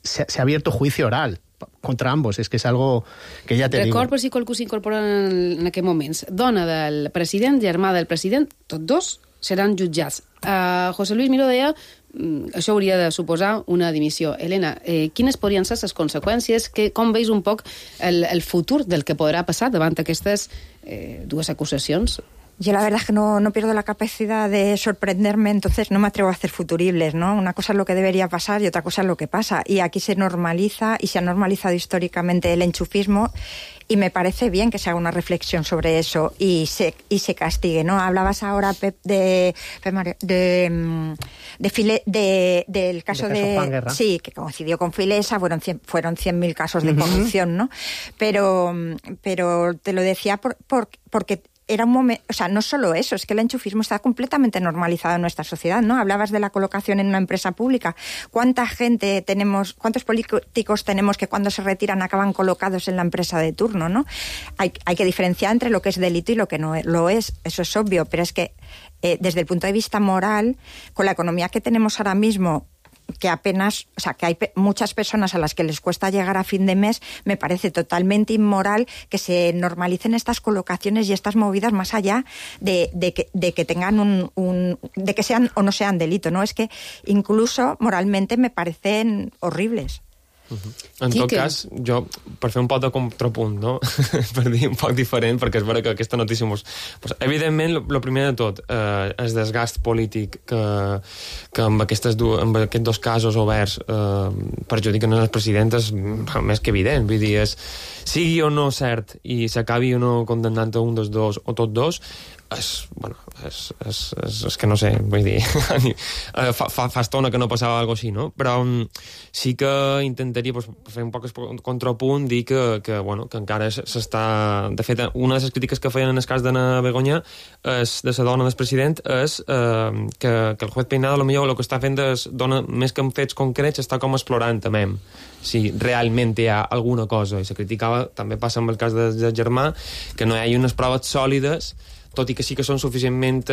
se ha abierto juicio oral contra ambos. És que és algo que ja te digo. Record per si qualcú s'incorpora en aquests moments. Dona del president, germà del president, tots dos seran jutjats. José Luis Miró deia això hauria de suposar una dimissió. Helena, quines podrien ser les conseqüències? Com veus un poc el futur del que podrà passar davant aquestes dues acusacions? Yo la verdad es que no pierdo la capacidad de sorprenderme, entonces no me atrevo a hacer futuribles, ¿no? Una cosa es lo que debería pasar y otra cosa es lo que pasa. Y aquí se normaliza y se ha normalizado históricamente el enchufismo y me parece bien que se haga una reflexión sobre eso y se castigue, ¿no? Hablabas ahora, Pep, del caso de Juan Guerra. Sí, que coincidió con Filesa, fueron 100.000 casos de corrupción, ¿no? Pero te lo decía porque era un momento, o sea, no solo eso, es que el enchufismo está completamente normalizado en nuestra sociedad, ¿no? Hablabas de la colocación en una empresa pública. ¿Cuánta gente tenemos, cuántos políticos tenemos que cuando se retiran acaban colocados en la empresa de turno, ¿no? Hay que diferenciar entre lo que es delito y lo que no lo es, eso es obvio, pero es que desde el punto de vista moral, con la economía que tenemos ahora mismo, que apenas, o sea, que hay muchas personas a las que les cuesta llegar a fin de mes, me parece totalmente inmoral que se normalicen estas colocaciones y estas movidas más allá de que tengan de que sean o no sean delito, ¿no? Es que incluso moralmente me parecen horribles. En tot cas, jo, per fer un poc de contrapunt, no? Per dir un poc diferent, perquè és vera que aquesta notícia evidentment, el primer de tot, el desgast polític que amb aquests dos casos oberts perjudiquen les presidentes més que evident. Vull dir, sigui o no cert i s'acabi o no condemnant a un dels dos o tots dos, és que no sé, vull dir, fa estona que no passava alguna cosa així, no? Però sí que intentaria fer un poc el contrapunt, dir que encara s'està... De fet, una de les crítiques que feien en el cas d'Anna Begoña, de la dona del president, és que el juez Peinado potser el que està fent és, més que en fets concrets, està com explorant també si realment hi ha alguna cosa. I se criticava, també passa amb el cas del germà, que no hi ha unes proves sòlides, tot i que sí que són suficientment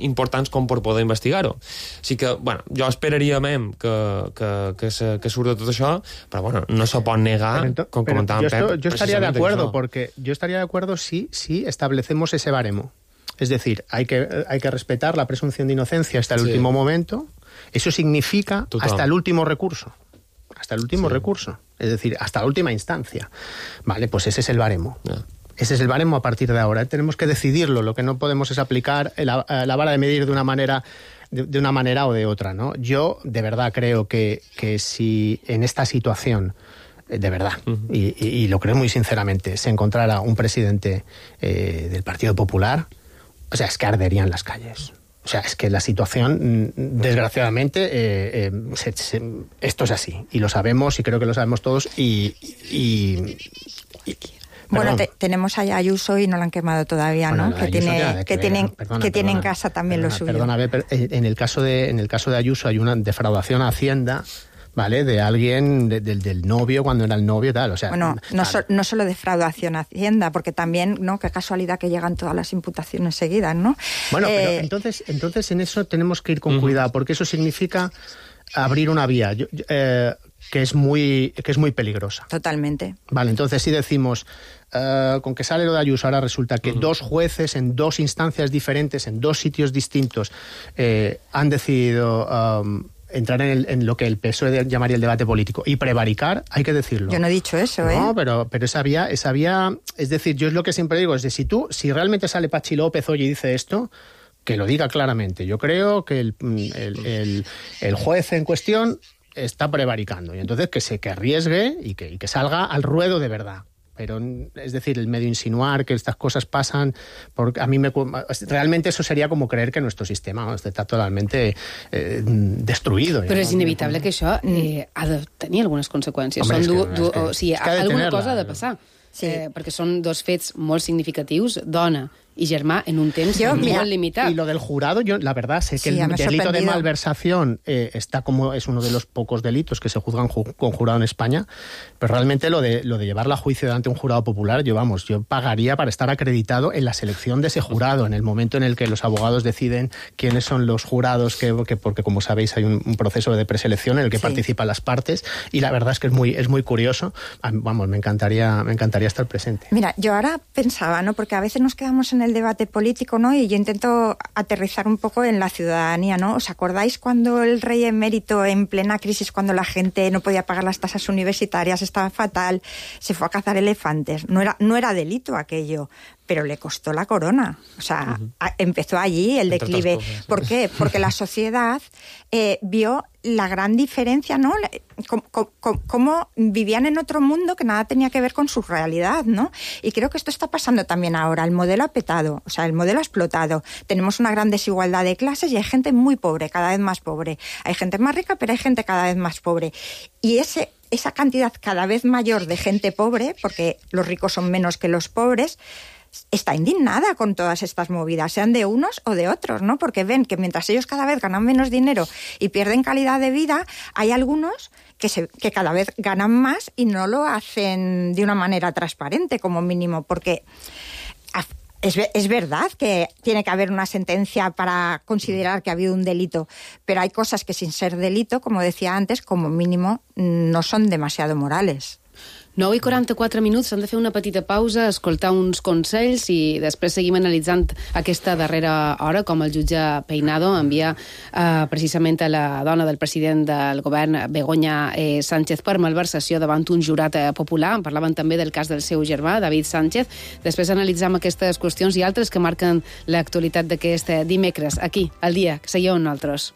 importants com per poder investigar-ho. Així que, jo esperaria que surt de tot això, però no se pot negar, com comentàvem Pep. Yo estaría de acuerdo, porque yo estaría de acuerdo si establecemos ese baremo. Es decir, hay que respetar la presunción de inocencia hasta el último momento. Eso significa hasta el último recurso. Hasta el último recurso. Es decir, hasta la última instancia. Vale, pues ese es el baremo. Ese es el baremo a partir de ahora. Tenemos que decidirlo. Lo que no podemos es aplicar la vara de medir de una manera o de otra, ¿no? Yo de verdad creo que si en esta situación, de verdad, y lo creo muy sinceramente, se encontrara un presidente del Partido Popular, o sea, es que arderían las calles. O sea, es que la situación, desgraciadamente, esto es así. Y lo sabemos, y creo que lo sabemos todos, Bueno, tenemos a Ayuso y no la han quemado todavía, ¿no? Que tiene en casa también lo suyo. Perdona, en el caso de Ayuso hay una defraudación a Hacienda, ¿vale? De alguien, del novio, cuando era el novio y tal, o sea... Bueno, no solo defraudación a Hacienda, porque también, ¿no? Qué casualidad que llegan todas las imputaciones seguidas, ¿no? Bueno, pero entonces en eso tenemos que ir con cuidado, porque eso significa abrir una vía que es muy peligrosa. Totalmente. Vale, entonces si decimos, con que sale lo de Ayuso, ahora resulta que dos jueces en dos instancias diferentes, en dos sitios distintos, han decidido entrar en lo que el PSOE llamaría el debate político y prevaricar, hay que decirlo. Yo no he dicho eso, ¿eh? No, pero esa vía, es decir, yo es lo que siempre digo, es de si realmente sale Pachi López hoy y dice esto, que lo diga claramente. Yo creo que el juez en cuestión está prevaricando, y entonces que arriesgue y que salga al ruedo de verdad. Pero, es decir, el medio insinuar que estas cosas pasan, porque a mí realmente eso sería como creer que nuestro sistema está totalmente destruido. Però és inevitable que això ha de tenir algunes conseqüències. O sigui, alguna cosa ha de passar. Sí. Perquè són dos fets molt significatius, dona y germá en un temps muy limitado. Y lo del jurado, yo la verdad sé que el delito de malversación es uno de los pocos delitos que se juzgan con jurado en España, pero realmente lo de llevarla a juicio delante de un jurado popular, yo pagaría para estar acreditado en la selección de ese jurado, en el momento en el que los abogados deciden quiénes son los jurados, porque como sabéis hay un proceso de preselección en el que participan las partes, y la verdad es que es muy curioso. Me encantaría estar presente. Mira, yo ahora pensaba, ¿no? Porque a veces nos quedamos en el debate político, ¿no? Y yo intento aterrizar un poco en la ciudadanía, ¿no? ¿Os acordáis cuando el rey emérito, en plena crisis, cuando la gente no podía pagar las tasas universitarias, estaba fatal, se fue a cazar elefantes? No era delito aquello, pero le costó la corona. O sea, empezó allí el declive. ¿Por qué? Porque la sociedad vio la gran diferencia, ¿no? Cómo vivían en otro mundo que nada tenía que ver con su realidad, ¿no? Y creo que esto está pasando también ahora. El modelo ha petado, o sea, el modelo ha explotado. Tenemos una gran desigualdad de clases y hay gente muy pobre, cada vez más pobre. Hay gente más rica, pero hay gente cada vez más pobre. Y esa cantidad cada vez mayor de gente pobre, porque los ricos son menos que los pobres, está indignada con todas estas movidas, sean de unos o de otros, ¿no? Porque ven que mientras ellos cada vez ganan menos dinero y pierden calidad de vida, hay algunos que cada vez ganan más y no lo hacen de una manera transparente, como mínimo, porque es verdad que tiene que haber una sentencia para considerar que ha habido un delito, pero hay cosas que sin ser delito, como decía antes, como mínimo no son demasiado morales. 9:44 minuts, s'han de fer una petita pausa, escoltar uns consells i després seguim analitzant aquesta darrera hora, com el jutge Peinado envia precisament a la dona del president del govern, Begoña Sánchez, per malversació davant un jurat popular. Parlaven també del cas del seu germà, David Sánchez. Després analitzam aquestes qüestions i altres que marquen l'actualitat d'aquest dimecres, aquí, al dia, que seieu nosaltres.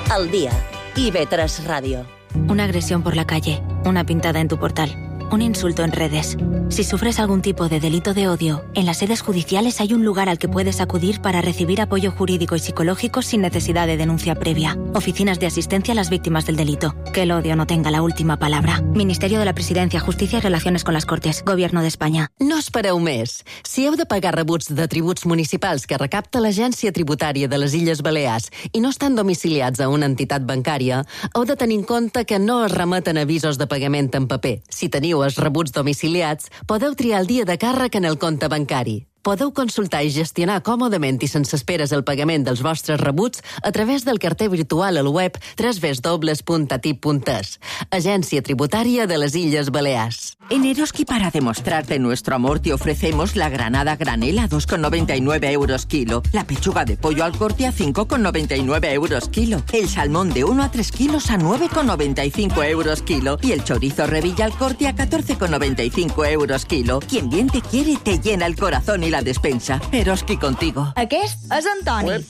Al día. IB3 Radio. Una agresión por la calle, una pintada en tu portal, un insulto en redes. Si sufres algún tipo de delito de odio, en las sedes judiciales hay un lugar al que puedes acudir para recibir apoyo jurídico y psicológico sin necesidad de denuncia previa. Oficinas de asistencia a las víctimas del delito. Que el odio no tenga la última palabra. Ministerio de la Presidencia, Justícia i Relaciones con las Cortes. Gobierno d'Espanya. No espereu més. Si heu de pagar rebuts de tributs municipals que recapta l'Agència Tributària de les Illes Balears i no estan domiciliats a una entitat bancària, heu de tenir en compte que no es remeten avisos de pagament en paper. Si teniu els rebuts domiciliats, podeu triar el dia de càrrec en el compte bancari. Podeu consultar i gestionar còmodament i sense esperes el pagament dels vostres rebuts a través del carter virtual al web www.atip.es. Agència Tributària de les Illes Balears. En Eroski, para demostrarte nuestro amor, te ofrecemos la granada granel a 2,99 euros kilo, la pechuga de pollo al corte a 5,99 euros kilo, el salmón de 1 a 3 kilos a 9,95 euros kilo y el chorizo revilla al corte a 14,95 euros kilo. Quien bien te quiere te llena el corazón i la despensa. Eroski contigo. Aquest és Antoni,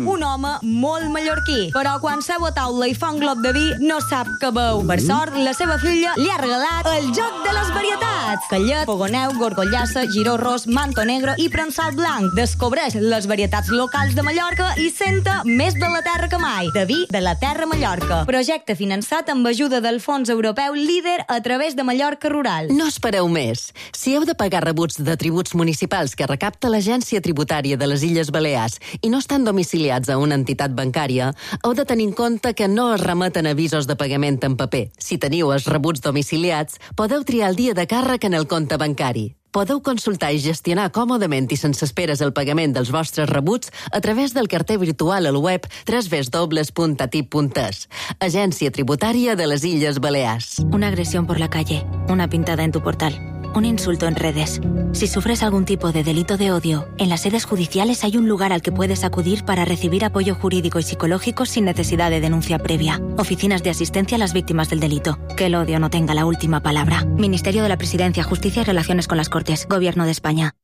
un home molt mallorquí, però quan seu a taula i fa un glop de vi no sap què beu. Per sort, la seva filla li ha regalat el joc de les varietats. Callet, fogoneu, gorgollassa, giró ros, manto negre i prensat blanc. Descobreix les varietats locals de Mallorca i senta més de la terra que mai. De vi de la terra Mallorca. Projecte finançat amb ajuda del Fons Europeu Líder a través de Mallorca Rural. No espereu més. Si heu de pagar rebuts de tributs municipals que recapta l'Agència Tributària de les Illes Balears i no estan domiciliats a una entitat bancària, heu de tenir en compte que no es remeten avisos de pagament en paper. Si teniu els rebuts domiciliats, podeu triar el dia de càrrec en el compte bancari. Podeu consultar i gestionar còmodament i sense esperes el pagament dels vostres rebuts a través del carter virtual al web www.atip.es. Agència Tributària de les Illes Balears. Una agresión por la calle, una pintada en tu portal, un insulto en redes. Si sufres algún tipo de delito de odio, en las sedes judiciales hay un lugar al que puedes acudir para recibir apoyo jurídico y psicológico sin necesidad de denuncia previa. Oficinas de asistencia a las víctimas del delito. Que el odio no tenga la última palabra. Ministerio de la Presidencia, Justicia y Relaciones con las Cortes. Gobierno d'Espanya.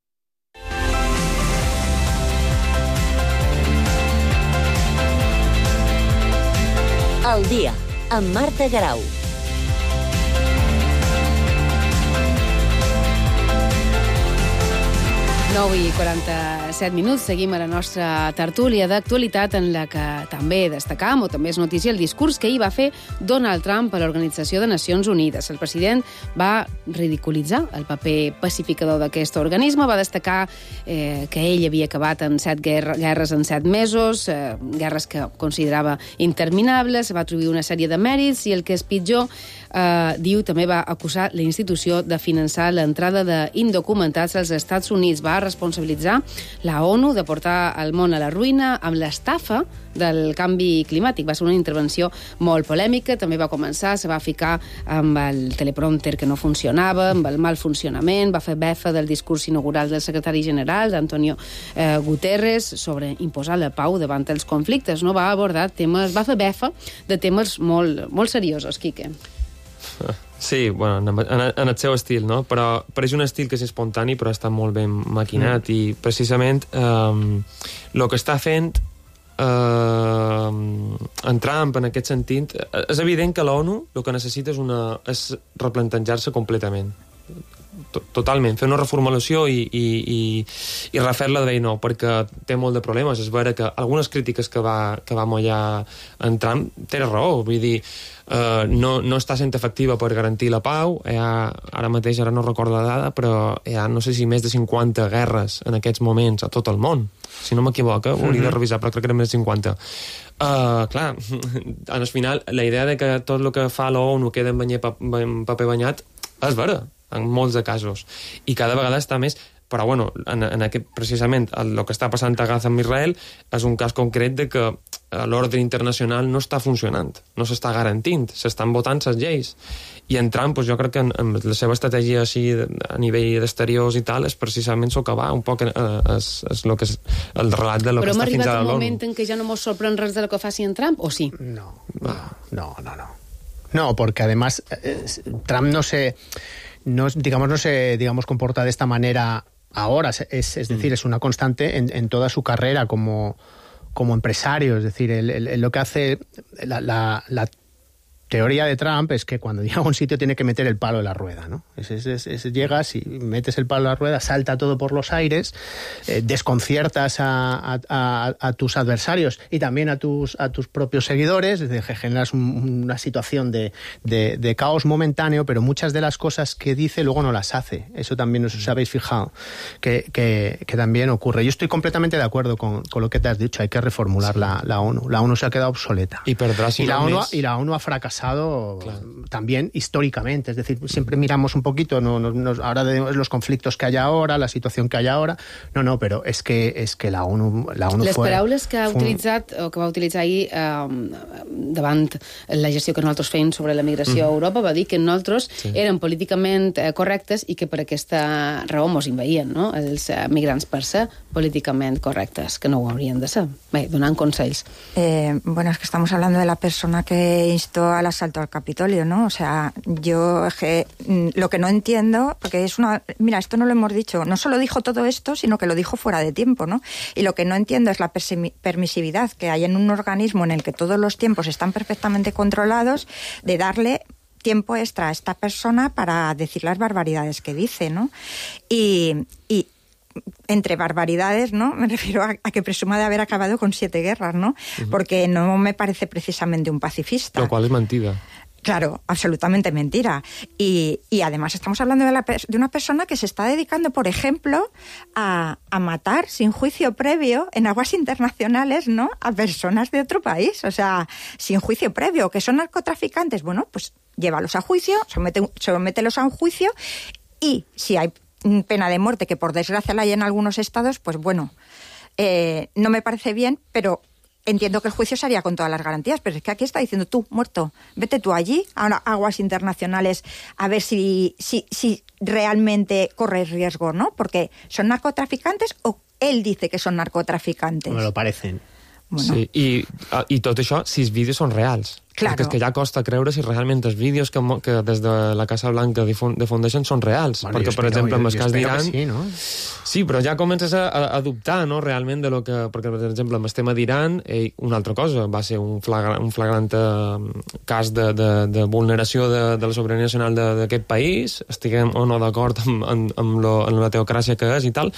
Al dia, amb Marta Garau. 9:47 minuts, seguim a la nostra tertúlia d'actualitat en la que també destacam, o també és notícia, el discurs que ahir va fer Donald Trump a l'Organització de Nacions Unides. El president va ridiculitzar el paper pacificador d'aquest organisme, va destacar que ell havia acabat en 7 guerres en 7 mesos, guerres que considerava interminables, va atribuir una sèrie de mèrits i el que és pitjor, diu, també va acusar la institució de finançar l'entrada d'indocumentats als Estats Units. Va responsabilitzar la ONU de portar el món a la ruïna amb l'estafa del canvi climàtic. Va ser una intervenció molt polèmica, també va començar, se va ficar amb el teleprompter que no funcionava, amb el mal funcionament, va fer befa del discurs inaugural del secretari general, d'Antonio Guterres, sobre imposar la pau davant els conflictes. No? Va abordar temes, va fer befa de temes molt seriosos, Quique. Sí, bueno, en el seu estil, no? Però és un estil que és espontani, però està molt ben maquinat i precisament el que està fent en Trump en aquest sentit, és evident que l'ONU el que necessita és replantejar-se completament, totalment, fer una reformulació i refer-la de vell nou, perquè té molt de problemes. És vera que algunes crítiques que va mollar en Trump té raó, vull dir, no està sent efectiva per garantir la pau. Ara mateix, ara no recordo la dada, però hi ha no sé si més de 50 guerres en aquests moments a tot el món, si no m'equivoco, ho hauria de revisar, però crec que eren més de 50. Clar, al final la idea de que tot el que fa l'ONU queda en paper banyat és vera, en molts de casos, i cada vegada està més. Però bueno, en aquest, precisament el que està passant a Gaza amb Israel és un cas concret de que l'ordre internacional no està funcionant, no s'està garantint, s'estan votant les lleis. I en Trump, jo crec que amb la seva estratègia així a nivell d'exteriors i tal és precisament socavar un poc el relat de lo que està fins ara l'ONU. Però hem arribat a un moment en què ja no ens sorprèn res de lo que faci en Trump, o sí? No, porque además Trump no se comporta de esta manera ahora, es decir, es una constante en toda su carrera como empresario. Es decir, lo que hace la teoría de Trump es que cuando llega a un sitio tiene que meter el palo en la rueda, ¿no? Llegas y metes el palo en la rueda, salta todo por los aires, desconciertas a tus adversarios y también a tus propios seguidores, es decir, generas una situación de caos momentáneo, pero muchas de las cosas que dice luego no las hace. Eso también os habéis fijado, que también ocurre. Yo estoy completamente de acuerdo con lo que te has dicho, hay que reformular la ONU. La ONU se ha quedado obsoleta. Y la ONU ha fracasado también históricamente, es decir, siempre miramos un poquito ahora de los conflictos que hay ahora, la situación que hay ahora, pero es que la ONU les paraules que ha utilitzat o que va utilitzar ahir davant la gestió que nosaltres fèiem sobre la migració a Europa, va dir que nosaltres eren políticament correctes i que per aquesta raó mos inveïen, no? Els migrants per ser políticament correctes, que no ho haurien de ser. Bé, donant consells. Bueno, es que estamos hablando de la persona que instó al asalto al Capitolio, ¿no? O sea, yo lo que no entiendo, porque mira, esto no lo hemos dicho, no solo dijo todo esto, sino que lo dijo fuera de tiempo, ¿no? Y lo que no entiendo es la permisividad que hay en un organismo en el que todos los tiempos están perfectamente controlados, de darle tiempo extra a esta persona para decir las barbaridades que dice, ¿no? Y entre barbaridades, ¿no? Me refiero a que presuma de haber acabado con 7 guerras, ¿no? Porque no me parece precisamente un pacifista. Lo cual es mentira. Claro, absolutamente mentira. Y además estamos hablando de una persona que se está dedicando, por ejemplo, a matar sin juicio previo en aguas internacionales, ¿no? A personas de otro país, o sea, sin juicio previo, que son narcotraficantes. Bueno, pues llévalos a juicio, somételos a un juicio y si hay pena de muerte, que por desgracia la hay en algunos estados, pues bueno, no me parece bien, pero entiendo que el juicio se haría con todas las garantías, pero es que aquí está diciendo tú, muerto, vete tú allí, a aguas internacionales, a ver si realmente corres riesgo, ¿no? Porque ¿son narcotraficantes o él dice que son narcotraficantes? Me lo parecen. Bueno. Sí, i tot això, si els vídeos són reals. Claro. Perquè és que ja costa creure si realment els vídeos que des de la Casa Blanca difundeixen són reals. Bueno, perquè, per exemple, amb el cas d'Iran... Sí, no? Sí, però ja comences a dubtar, no?, realment de lo que... Perquè, per exemple, amb el tema d'Iran, una altra cosa, va ser un flagrant cas de vulneració de la sobirania nacional d'aquest país, estiguem o no d'acord amb la teocràcia que és i tal,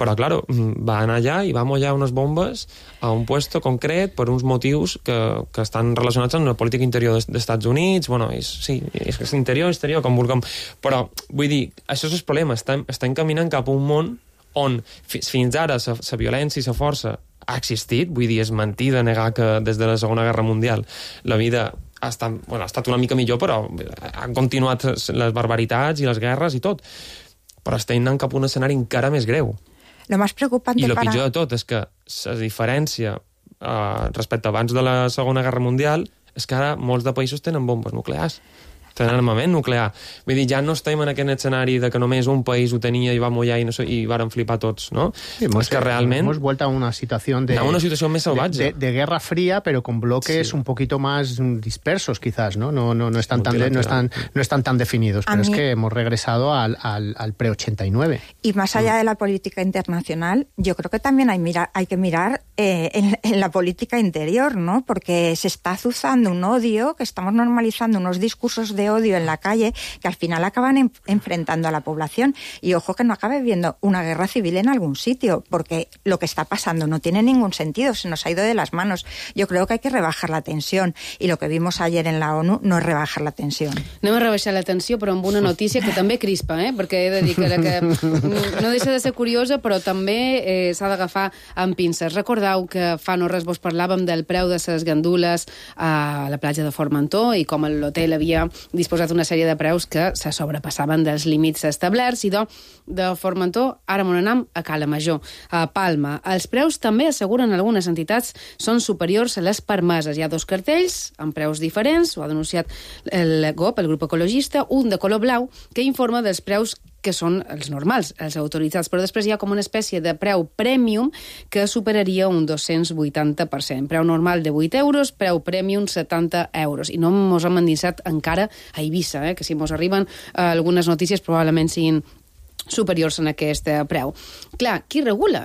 però, clar, va anar allà i va mollar unes bombes a un puesto concret per uns motius que estan relacionats amb la política interior dels Estats Units. Bueno, sí, és interior, exterior, com vulguem. Però, vull dir, això és el problema. Estem caminant cap a un món on fins ara la violència i la força ha existit, vull dir, és mentida negar que des de la Segona Guerra Mundial la vida ha estat una mica millor, però han continuat les barbaritats i les guerres i tot. Però estem anant cap a un escenari encara més greu. Lo más preocupante I el pitjor de tot és que la diferència respecte abans de la Segona Guerra Mundial és que ara molts de països tenen bombes nuclears. Tenen armament nuclear. Vull dir, ja no estem en aquest escenari de que només un país ho tenia i va mullar i varen flipar tots, ¿no? Sí, es que realment... Hemos vuelto a una situación de... A una situación más salvaje. De Guerra Fría, pero con bloques un poquito más dispersos, quizás, ¿no? No están tan definidos. Pero es que hemos regresado al pre-89. Y más allá de la política internacional, yo creo que también hay que mirar en la política interior, ¿no? Porque se está azuzando un odio, que estamos normalizando unos discursos de odio en la calle que al final acaban enfrentando a la población. Y ojo que no acabe viendo una guerra civil en algún sitio, porque lo que está pasando no tiene ningún sentido, se nos ha ido de las manos. Yo creo que hay que rebajar la tensión, y lo que vimos ayer en la ONU no es rebajar la tensión. Anem a rebaixar la tensió, però amb una notícia que també crispa, perquè he de dir que no deixa de ser curiosa, però també s'ha d'agafar amb pinces. Recordeu que fa no res vos parlàvem del preu de les gandules a la platja de Formentor i com l'hotel havia disposat una sèrie de preus que se sobrepassaven dels límits establerts, i de Formentor ara m'on anem a Cala Major, a Palma. Els preus també, asseguren algunes entitats, són superiors a les permeses. Hi ha 2 cartells amb preus diferents, ho ha denunciat el GOP, el grup ecologista, un de color blau que informa dels preus que són els normals, els autoritzats, però després hi ha com una espècie de preu premium que superaria un 280%. Preu normal de 8 euros, preu premium 70 euros. I no mos hem endinsat encara a Eivissa, que si mos arriben algunes notícies probablement siguin superiors en aquest preu. Clar, qui regula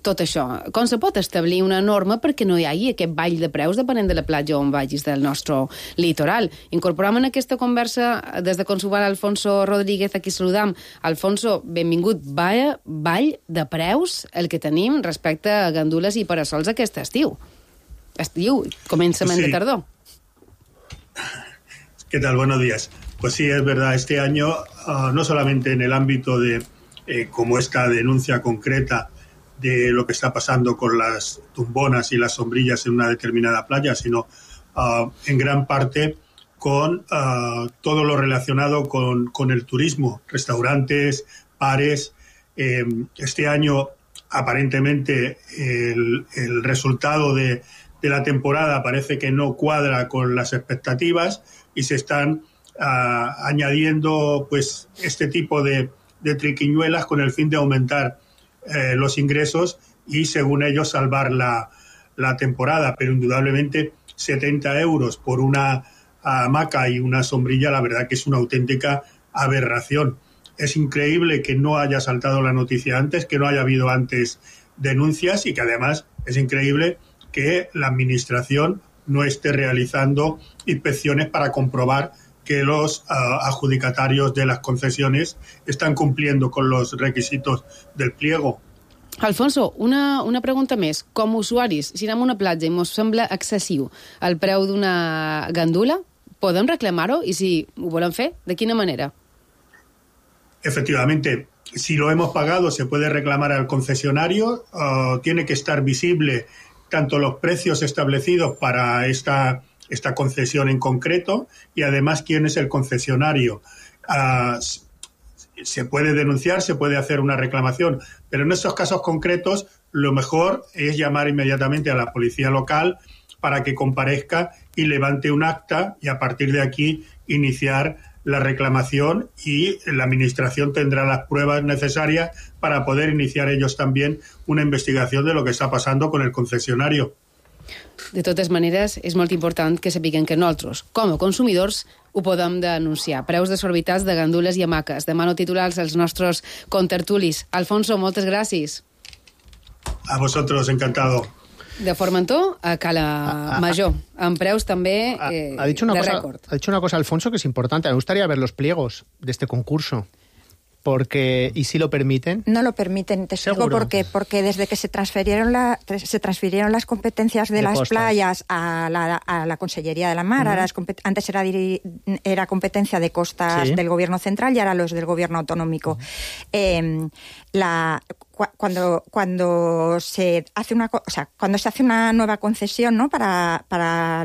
tot això? Com se pot establir una norma perquè no hi hagi aquest ball de preus depenent de la platja on vagis del nostre litoral? Incorporem en aquesta conversa des de Consular Alfonso Rodríguez, aquí saludam. Alfonso, benvingut. Vaya ball de preus el que tenim respecte a gandules i parasols aquest estiu. Estiu, començament de tardor. ¿Qué tal? Buenos días. Pues sí, es verdad, este año, no solamente en el ámbito de como esta denuncia concreta de lo que está pasando con las tumbonas y las sombrillas en una determinada playa, sino en gran parte con todo lo relacionado con el turismo, restaurantes, bares. Este año, aparentemente, el resultado de la temporada parece que no cuadra con las expectativas y se están añadiendo pues este tipo de triquiñuelas con el fin de aumentar los ingresos y, según ellos, salvar la temporada. Pero indudablemente 70 euros por una hamaca y una sombrilla, la verdad que es una auténtica aberración. Es increíble que no haya saltado la noticia antes, que no haya habido antes denuncias, y que además es increíble que la administración no esté realizando inspecciones para comprobar que los adjudicatarios de las concesiones están cumpliendo con los requisitos del pliego. Alfonso, una pregunta més. Com a usuaris, si anem a una platja i ens sembla excessiu el preu d'una gandula, podem reclamar-ho? I si ho volem fer, de quina manera? Efectivamente, si lo hemos pagado se puede reclamar al concesionario, tiene que estar visible tanto los precios establecidos para esta concesión en concreto y además quién es el concesionario. Se puede denunciar, se puede hacer una reclamación, pero en estos casos concretos lo mejor es llamar inmediatamente a la policía local para que comparezca y levante un acta, y a partir de aquí iniciar la reclamación, y la administración tendrá las pruebas necesarias para poder iniciar ellos también una investigación de lo que está pasando con el concesionario. De totes maneres, és molt important que sapiguem que nosaltres, com a consumidors, ho podem denunciar. Preus desorbitats de gandules i hamaques. Demano titulars als nostres contertulis. Alfonso, moltes gràcies. A vosotros, encantado. De Formentor a Cala Major, amb preus també de récord. Ha dicho una cosa, Alfonso, que es importante. Me gustaría ver los pliegos de este concurso. Porque, ¿y si lo permiten? No lo permiten, te explico por qué. Porque desde que se transfirieron las competencias de las playas a la Consellería de la Mar, antes era competencia de costas del Gobierno central y ahora los del Gobierno autonómico. cuando se hace una nueva concesión, ¿no?, para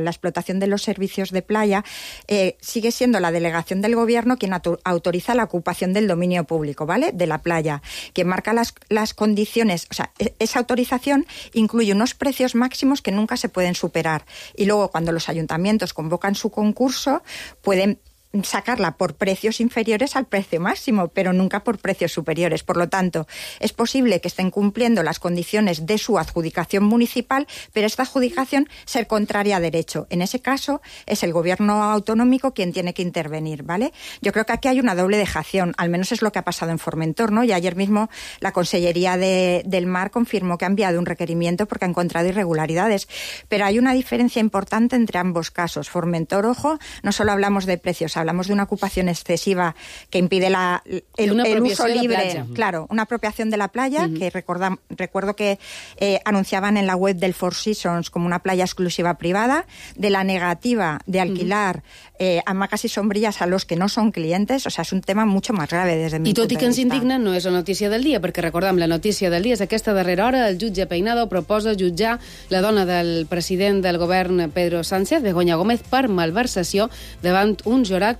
la explotación de los servicios de playa, sigue siendo la delegación del gobierno quien autoriza la ocupación del dominio público, ¿vale?, de la playa, que marca las condiciones. O sea, esa autorización incluye unos precios máximos que nunca se pueden superar. Y luego, cuando los ayuntamientos convocan su concurso, pueden sacarla por precios inferiores al precio máximo, pero nunca por precios superiores. Por lo tanto, es posible que estén cumpliendo las condiciones de su adjudicación municipal, pero esta adjudicación ser contraria a derecho. En ese caso, es el gobierno autonómico quien tiene que intervenir, ¿vale? Yo creo que aquí hay una doble dejación, al menos es lo que ha pasado en Formentor, ¿no? Y ayer mismo la Consellería del Mar confirmó que ha enviado un requerimiento porque ha encontrado irregularidades. Pero hay una diferencia importante entre ambos casos. Formentor, ojo, no solo hablamos de precios, hablamos de una ocupación excesiva que impide el uso libre. Claro, una apropiación de la playa, que recuerdo que anunciaban en la web del Four Seasons como una playa exclusiva privada, de la negativa de alquilar hamacas y sombrillas a los que no son clientes. O sea, és un tema mucho más grave des de mi punt de vista. I tot i que ens indigna, no és la notícia del dia, perquè recordem, la notícia del dia és aquesta darrera hora. El jutge Peinado proposa jutjar la dona del president del govern Pedro Sánchez, Begoña Gómez, per malversació davant un jurat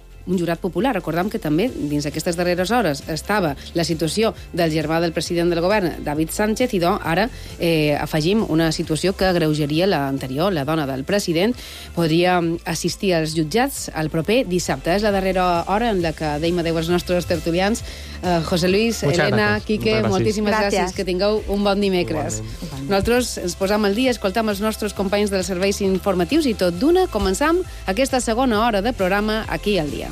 popular. Recordem que també dins aquestes darreres hores estava la situació del germà del president del govern, David Sánchez, i ara afegim una situació que agreujaria l'anterior. La dona del president podria assistir als jutjats el proper dissabte. És la darrera hora en la que deim adeu als nostres tertulians. José Luis, Elena, Quique, moltíssimes gràcies. Que tingueu un bon dimecres. Nosaltres ens posam al dia, escoltam els nostres companys dels serveis informatius i tot d'una començam aquesta segona hora de programa aquí al dia.